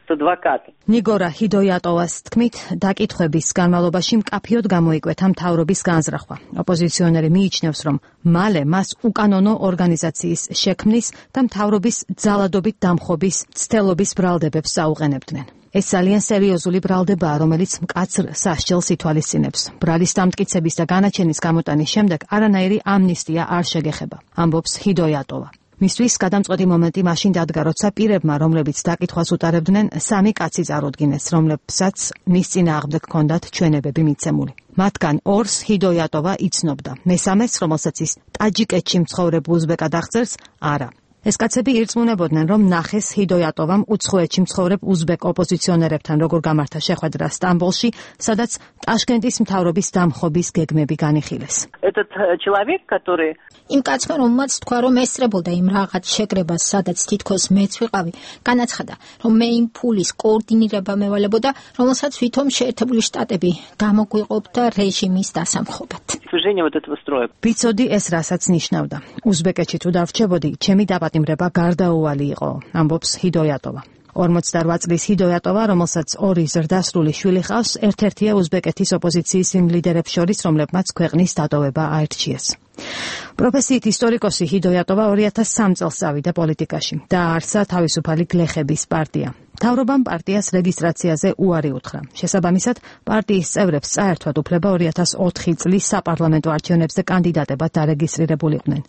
ნიგორა ჰიდოიატოვას თქმით, დაკითხვების განმავლობაში მკაფიოდ გამოიკვეთა მთავრობის განზრახვა. ოპოზიციონერი მიიჩნევს, რომ მალე მას უკანონო ორგანიზაციის შექმნის და მთავრობის ძალადობით დამხობის ცდელობის ბრალდებებს საუყენებდნენ. ეს ძალიან სერიოზული ბრალდებაა, რომელიც მკაცრ სასჯელს ითვალისწინებს. ბრალის დამტკიცების და განაჩენის გამოტანის შემდეგ არანაირი ამნისტია არ შეგეხება, ამბობს ჰიდოიატოვა. მისთვის გადამწყვეტი მომენტი მაშინ დადგა, როცა პირებმა, რომლებიც დაკითხვას უტარებდნენ, 3 კაცი წარუდგინეს, რომლებსაც მის წინააღმდეგ ჰქონდათ ჩვენებები მიცემული. მათგან 2-ს ჰიდოიატოვა იცნობდა, მესამეს, რომელსაც ის ტაჯიკეთში მცხოვრებ უზბეკად აღწერს, არა. ეს კაცები ირწმუნებოდნენ, რომ ნახეს ჰიდოიატოვამ უცხოეთში მცხოვრებ უზბეკ ოპოზიციონერებთან როგორ გამართა შეხვედრა სტამბოლში, სადაც ტაშკენტის მთავრობის დამხობის გეგმები განიხილეს. იმ კაცმა, რომელმაც თქვა, რომ ესწრებოდა იმ რაღაც შეკრებას, სადაც თითქოს მეც ვიყავი, განაცხადა, რომ მე იმ ფულის კოორდინირება მევალებოდა, რომელსაც ვითომ შეერთებული შტატები გამოგვიყოფდა რეჟიმის დასამხობად. ვიცოდი ეს რასაც ნიშნავდა. უზბეკეთში თუ დავრჩებოდი, ჩემი დაპატიმრება გარდაუვალი იყო, ამბობს ჰიდოიატოვა. 48 წლის ჰიდოიატოვა, რომელსაც 2 ზრდასრული შვილი ჰყავს, ერთ-ერთია უზბეკეთის ოპოზიციის იმ ლიდერებს შორის, რომლებმაც ქვეყნის დატოვება აირჩიეს. პროფესიით ისტორიკოსი ჰიდოიატოვა 2003 წელს წავიდა პოლიტიკაში. დააარსა თავისუფალი გლეხების პარტია. მთავრობამ პარტიას რეგისტრაციაზე უარი უთხრა. შესაბამისად, პარტიის წევრებს წაერთვათ უფლება 2004 წლის საპარლამენტო არჩევნებზე კანდიდატებად დარეგისტრირებულიყვნენ.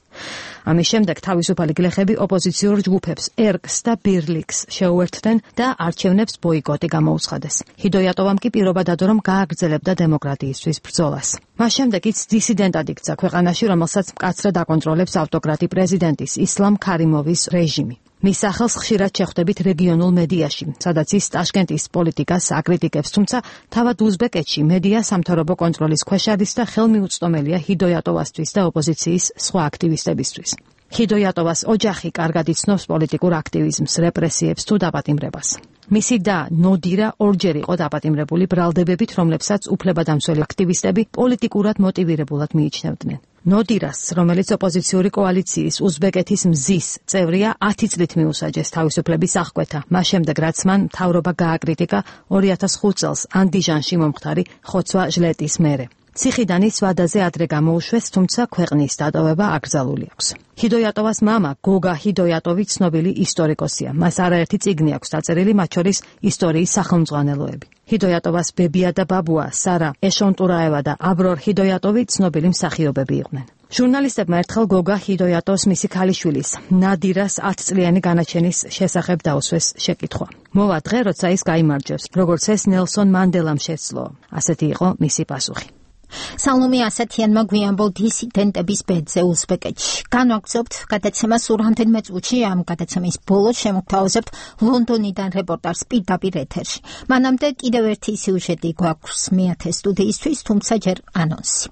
ამის შემდეგ თავისუფალი გლეხები ოპოზიციურ ჯგუფებს ერკს და ბირლიქს შეუერთდნენ და არჩევნებს ბოიკოტი გამოუცხადეს. ჰიდოიატოვამ კი პირობა დადო, რომ გააგრძელებდა დემოკრატიისთვის ბრძოლას. მას შემდეგ ის დისიდენტად იქცა ქვეყანაში, რომელსაც მკაცრად აკონტროლებს ავტოკრატი პრეზიდენტის ისლამ ქარიმოვის რეჟიმი. მის სახელს ხშირად შეხვდებით რეგიონულ მედიაში, სადაც ის ტაშკენტის პოლიტიკას აკრიტიკებს, თუმცა თავად უზბეკეთში მედია სამთავრობო კონტროლის ქვეშ არის და ხელმიუწვდომელია ჰიდოიატოვასთვის და ოპოზიციის სხვა აქტივისტებისთვის. ჰიდოიატოვას ოჯახი კარგად იცნობს პოლიტიკურ აქტივიზმს, რეპრესიებს თუ დაპატიმრებას. მისი და ნოდირა ორჯერ იყო დაპატიმრებული ბრალდებებით, რომლებსაც უფლებადამცველი აქტივისტები პოლიტიკურად მოტივირებულად მიიჩნევდნენ. ნოდირას, რომელიც ოპოზიციური კოალიციის უზბეკეთის მზის წევრია, 10 წლით მიუსაჯეს თავისუფლების აღკვეთა, მას შემდეგ რაც მან მთავრობა გააკრიტიკა 2005 წელს ანდიჟანში მომხდარი ხოცვა ჟლეტის მერე. ციხიდან ის ვადაზე ადრე გამოუშვეს, თუმცა ქვეყნის დატოვება აკრძალული აქვს. ჰიდოიატოვას მამა, გოგა ჰიდოიატოვი ცნობილი ისტორიკოსია. მას არაერთი წიგნი აქვს დაწერილი, მათ შორის ისტორიის სახელმძღვანელოები. ჰიდოიატოვას ბებია და ბაბუა, სარა ეშონტურაევა და აბრორ ჰიდოიატოვი ცნობილი მსახიობები იყვნენ. ჟურნალისტებმა ერთხელ გოგა ჰიდოიატოვს მისი ქალიშვილის, ნადირას 10 წლიანი განაჩენის შესახებ დაუსვეს შეკითხვა. მოვა დღე, როცა ის გაიმარჯვებს, როგორც ეს ნელსონ მანდელამ შეცლო. ასეთი იყო მისი პასუხი. სალომე ასათიანმა გვიანბოლ დისიდენტების ბედზე უზბეკეთში. განვაგრძობთ გადაცემას რამდენიმე წუთში, ამ გადაცემის ბოლოს შემოგთავაზებთ ლონდონიდან რეპორტაჟს პირდაპირ ეთერში. მანამდე კიდევ ერთი სიუჟეტი გვაქვს მეათე სტუდიისთვის, თუმცა ჯერ ანონსი.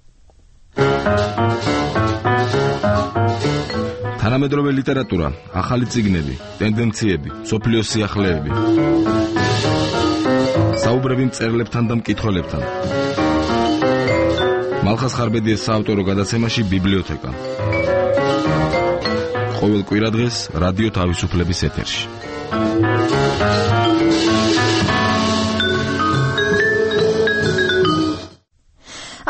თანამედროვე ლიტერატურა, ახალი წიგნები, ტენდენციები, სოფლიოს სიახლეები. საუბრები მწერლებთან და მკითხველებთან. მალხას ხარბედიეს საავტორო გადაცემაში ბიბლიოთეკა. ყოველ კვირადღეს რადიო თავისუფლების ეთერში.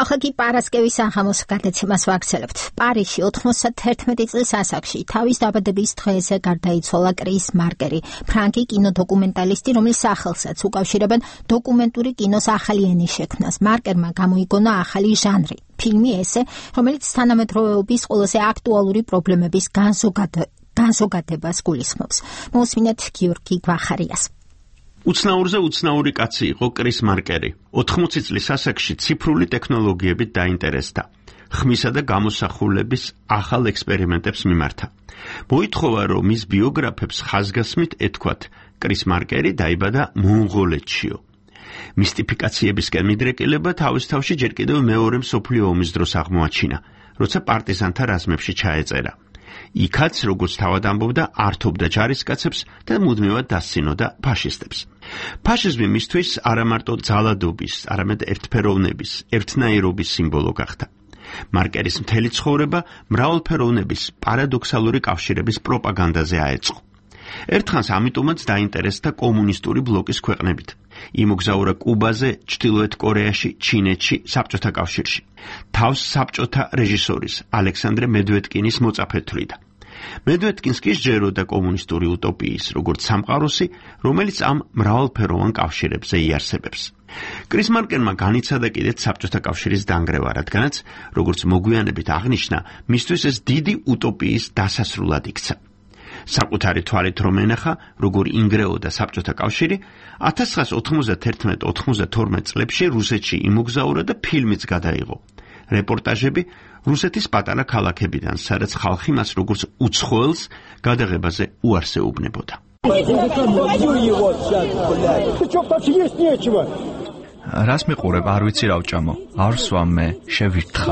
ახლა კი პარასკევის საღამოს გადაცემას ვაგრძელებთ. პარიზში 91 წლის ასაკში თავის დაბადების დღეზე გარდაიცვალა კრის მარკერი, ფრანკი კინოდოკუმენტალისტი, რომლის სახელსაც უკავშირებენ დოკუმენტური კინოს ახალი ენის შექმნას. მარკერმა გამოიგონა ახალი ჟანრი, ფილმი ესე, რომელიც თანამედროვეობის ყველაზე აქტუალური პრობლემების განზოგადებას გულისხმობს. მოусმინეთ გიორგი გვახარიას. უცნაურზე უცნაური კაცი იყო კრის მარკერი. 80 წლის ასაკში ციფრული ტექნოლოგიებით დაინტერესდა. ხმისა და გამოსახულების ახალ ექსპერიმენტებს მიმართა. მოითხოვა, რომ მის ბიოგრაფებს ხაზგასმით ეთქვათ, კრის მარკერი დაიბადა მონღოლეთშიო. მისტიფიკაციებისკენ მიდრეკილება თავის თავში ჯერ კიდევ მეორე მსოფლიო ომის დროს აღმოაჩინა, როცა პარტიზანთა რაზმებში ჩაეწერა. იქაც, როგორც თავად ამბობდა, ართობდა ჯარისკაცებს და მუდმივად დასცინოდა ფაშისტებს. ფაშიზმი მისთვის არა მარტო ძალადობის, არამედ ერთფეროვნების, ერთნაირობის სიმბოლო გახდა. მარკერის მთელი ცხოვრება მრავალფეროვნების პარადოქსალური კავშირების პროპაგანდაზე აეწყო. ერთხანს ამიტომაც დაინტერესდა კომუნისტური ბლოკის ქვეყნებით. იმოგზაურა კუბაზე, ჩრდილოეთ კორეაში, ჩინეთში, საბჭოთა კავშირში. თავს საბჭოთა რეჟისორის ალექსანდრე მედვედკინის მოწაფედ თვლიდა. მედვედკინს კი სჯეროდა კომუნისტური utopიის, როგორც სამყაროსი, რომელიც ამ მრავალფეროვან კავშირებზე იარსებებს. კრის მარკერმა განიცადა კიდეც საბჭოთა კავშირის დანგრევა, რადგანაც, როგორც მოგვიანებით აღნიშნა, მისთვის ეს დიდი utopიის დასასრულად იქცა. საკუთარი თვალით რომ ენახა, როგორ ინგრეოდა საბჭოთა კავშირი, 1991-92 წლებში რუსეთში იმოგზაურა და ფილმიც გადაიღო. რეპორტაჟები რუსეთის პატარა ქალაქებიდან, სადაც ხალხი მას როგორც უცხოელს გადაღებაზე უარს ეუბნებოდა. რას მიყურებ, არ ვიცი რა ვჭამო. არ ვსვამ მე, შევირთხა.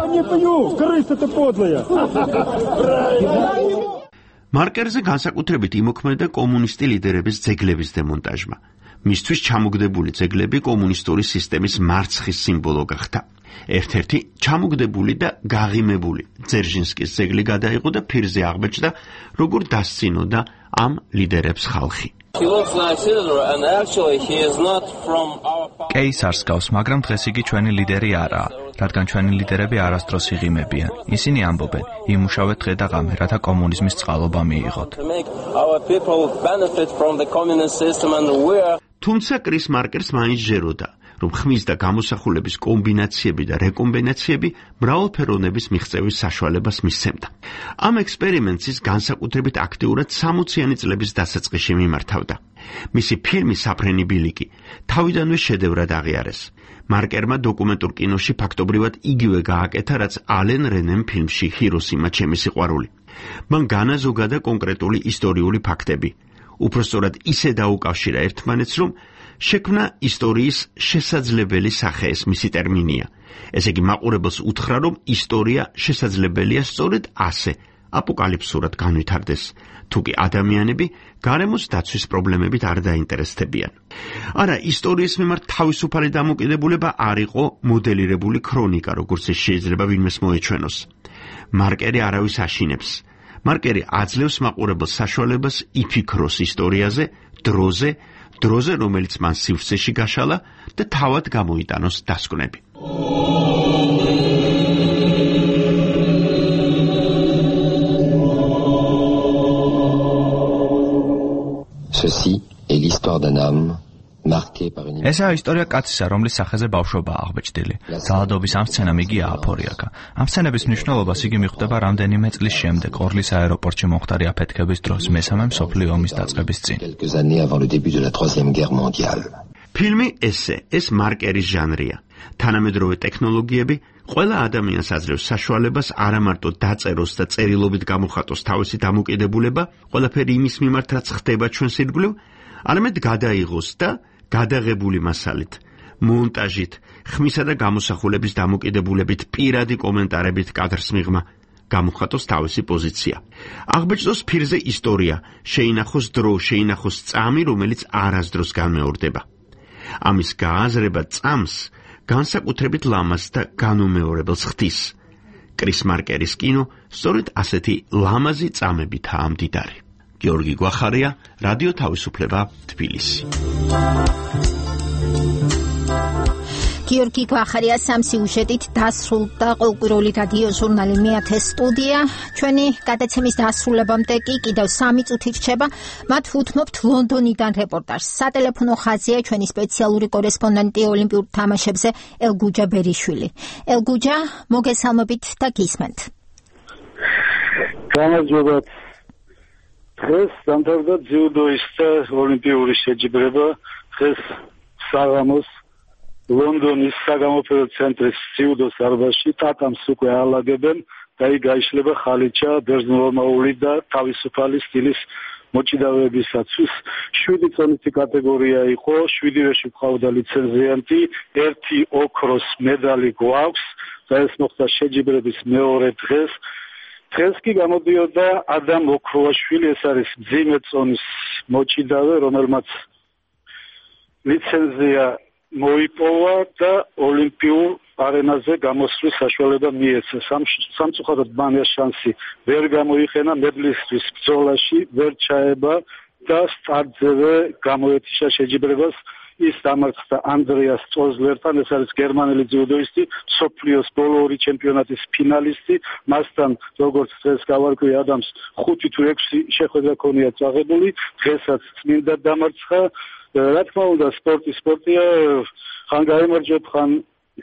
მარკერზე განსაკუთრებით იმოქმედა კომუნისტი ლიდერების ძეგლების დემონტაჟმა. მისთვის ჩამოგდებული ძეგლები კომუნისტური სისტემის მარცხის სიმბოლო გახდა. ერთ-ერთი ჩამოგდებული და გაღიმებული ძერჟინსკის ძეგლი გადაიღო და ფირზე აღბეჭდა, როგორ დასცინოდა ამ ლიდერებს ხალხი. კეისარს გავს, მაგრამ დღეს იგი ჩვენი ლიდერი არაა, რადგან ჩვენი ლიდერები არასდროს იღიმებიან. ისინი ამბობენ, იმუშავეთ დღე და ღამე, რათა კომუნიზმის წყალობა მიიღოთ. თუმცა კრის მარკერს მაინც ჯეროდა, რომ ხმის და გამოსახულების კომბინაციები და რეკომბინაციები მრავალფეროვნების მიღწევის საშუალებას მისცემდა. ამ ექსპერიმენტს ის განსაკუთრებით აქტიურად 60-იანი წლების დასაწყისში მიმართავდა. მისი ფილმი საფრენი ბილიკი თავიდანვე შედევრად აღიარეს. მარკერმა დოკუმენტურ კინოში ფაქტობრივად იგივე გააკეთა, რაც ალენ რენემ ფილმში ჰიროსიმა ჩემი სიყვარული. მან განაზოგადა კონკრეტული ისტორიული ფაქტები. უпростоრად ისე დაუკავშირა ერთმანეთს, რომ შექმნა ისტორიის შესაძლებელი სახე ეს მისი ტერმინია. ესე იგი მაყურებელს უთხრა, რომ ისტორია შესაძლებელია სწორედ ასე, აპოკალიფსურად განვითარდეს, თუკი ადამიანები გარემოს დაცვის პრობლემებით არ დაინტერესდებიან. არა, ისტორიის მიმართ თავისუფალი დამოკიდებულება არ იყო მოდელირებული ქრონიკა, როგორც ეს შეიძლება ვინმეს მოეჩვენოს. მარკერი არავის აშინებს. მარკერი აძლევს მაყურებელს საშუალებას იფიქროს ისტორიაზე, დროზე, რომელიც მან სივრცეში გაშალა და თავად გამოიტანოს დასკვნები. Ceci est l'histoire d'un homme marqué par une ესაა ისტორია კაცისა, რომლის სახეზე ბავშვობა აღბეჭდილი. ძალადობის ამ სცენამ იგი ააფორიაკა. ამ სცენების მნიშვნელობას იგი მიხვდება რამდენიმე წლის შემდეგ, ორლის აეროპორტში მომხდარი აფეთქების დროს, მესამე მსოფლიო ომის დაწყების წინ. ფილმი ეს მარკერის ჟანრია. თანამედროვე ტექნოლოგიები ყველა ადამიანს აძლევს საშუალებას არა მარტო დაწეროს და წერილობით გამოხატოს თავისი დამოკიდებულება, ყველაფერი იმის მიმართ, რაც ხდება ჩვენს ირგვლივ, არამედ გადაიღოს და გადაღებული მასალით, მონტაჟით, ხმისა და გამოსახულების დამოკიდებულებით, პირადი კომენტარებით კადრს მიღმა, გამოხატოს თავისი პოზიცია. აღბეჭდოს ფირზე ისტორია, შეინახოს დრო, შეინახოს წამი, რომელიც არასდროს განმეორდება. ამის გააზრება წამს განსაკუთრებით ლამაზ და განუმეორებელს ხდის. კრის მარკერის კინო სწორედ ასეთი ლამაზი წამებითაა მდიდარი. გიორგი გვახარია, რადიო თავისუფლება, თბილისი. გიორგი გვახარია სამსიუჟეტით დასრულდა ყოველკვირეული რადიო ჟურნალი მეათე სტუდია. ჩვენი გადაცემის დასრულებამდე კი კიდევ 3 წუთი რჩება. მათ უთმობთ ლონდონიდან რეპორტაჟს. სატელეფონო ხაზია ჩვენი სპეციალური კორესპონდენტი ოლიმპიურ თამაშებზე ელგუჯა ბერიშვილი. ელგუჯა, მოგესალმებით და გისმენთ. გამარჯობათ. დღეს დამთავრდა ძიუდოისტთა ოლიმპიური შეჯიბრება. დღეს საღამოს ლონდონის საგამოფენო ცენტრის ძიუდოს დარბაზში ტატამს უკვე აალაგებენ და იქ გაიშლება ხალიჩა ბერძნულოვანი და თავისუფალი სტილის მოჭიდავეებისათვის. 7 წონითი კატეგორია იყო, 7-ვეში გვყავდა ლიცენზიანტი, 1 ოქროს მედალი გვაქვს და ეს მოხდა შეჯიბრების მეორე დღეს. დღეს კი გამოდიოდა ადამ ოქროაშვილი, ეს არის მძიმე წონის მოჭიდავე, რომელმაც ლიცენზია მოიპოვა და ოლიმპიურ არენაზე გამოსვლის საშუალება მიეცა. სამწუხაროდ მან ეს შანსი ვერ გამოიყენა, მედლისთვის ბრძოლაში ვერ ჩაება და სტარტზევე გამოეთიშა შეჯიბრებას. ის დამარცხდა ანდრეას წოზლერთან, ეს არის გერმანელი ძიუდოისტი, მსოფლიოს ბოლო 2 ჩემპიონატის ფინალისტი. მასთან როგორც დღეს გავარკვი ადამს 5 თუ 6 შეხვედრა ქონია წაღებული, დღესაც წმინდა დამარცხა. რა თქმა უნდა, სპორტია, ხან გაემარჯვებ, ხან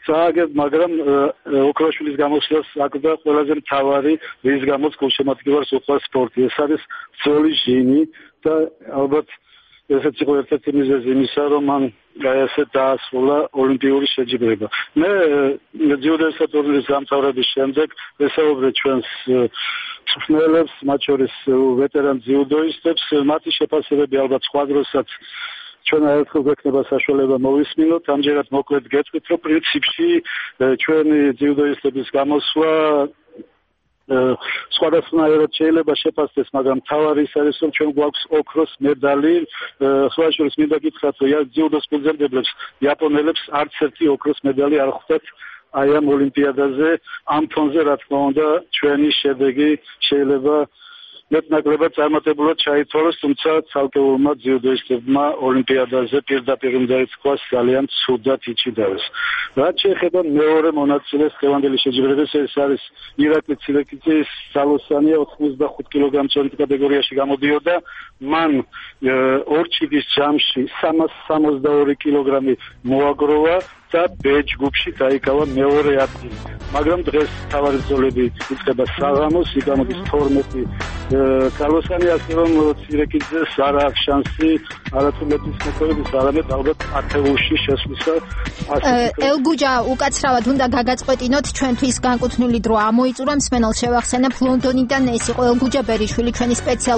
წააგებ, მაგრამ ოქროშვილის გამოსვლას აკვდა ყველაზე მთავარი, რის გამოც გულშემატკივარს უყვარს სპორტი. ეს არის ძველი ჟინი და ალბათ ესეც იყო ერთ-ერთი მიზეზი იმისა, რომ მან ესე დაასრულა ოლიმპიური შეჯიბრება. მე ძიუდოის ტურნირის დამთავრების შემდეგ ვესაუბრე ჩვენს მწვრთნელებს, მათ შორის ვეტერან ძიუდოისტებს, მათი შეფასებები ალბათ სხვა დროსაც ჩვენ ერთხელ გვექნება საშუალება მოვისმინოთ. ამჯერად მოკლედ გეტყვით, რომ პრინციპში ჩვენი ძიუდოისტების გამოსვლა სხვადასხვანაირად შეიძლება შეფასდეს, მაგრამ მთავარი ის არის, რომ ჩვენ გვაქვს ოქროს მედალი. სხვა შორის მინდა გითხრათ, რომ ძიუდოს ფუძემდებლებს იაპონელებს არც ერთი ოქროს მედალი არ ხვდათ აი ამ ოლიმპიადაზე. ამ ფონზე რა თქმა უნდა ჩვენი შედეგი შეიძლება მეტნაკლებად წარმატებულად ჩაითვალოს, თუმცა ცალკეულმა ძიუდოისტებმა ოლიმპიადაზე პირდაპირ უნდა ითქვას ძალიან ცუდად იჭიდავეს. რაც შეეხება მეორე მონაწილეს დღევანდელი შეჯიბრების, ეს არის ირაკლი ცილეკიძის ძალოსანია 85 კილოგრამის კატეგორიაში გამოდიოდა. მან ორჩიდის ჯამში 362 კილოგრამი მოაგროვა და B ჯგუფში დაიკავა მეორე ადგილი. მაგრამ დღეს თავარი ბრძოლები იწყება საღამოს, იგამოდის 12 კალოსანი, ასე რომ ცილეკიძეს არ აქვს შანსი არათუ მეტის მოქმედების, არამედ ალბათ ათეულში შესვლისა. ელგუჯა, უკაცრავად უნდა გაგაწყვეტინოთ, ჩვენთვის განკუთვნილი დრო ამოიწურა, მსმენელს შევახსენებ, ლონდონიდან ეს იყო ელგუჯა ბერიშვილი, ჩვენი სპეციალური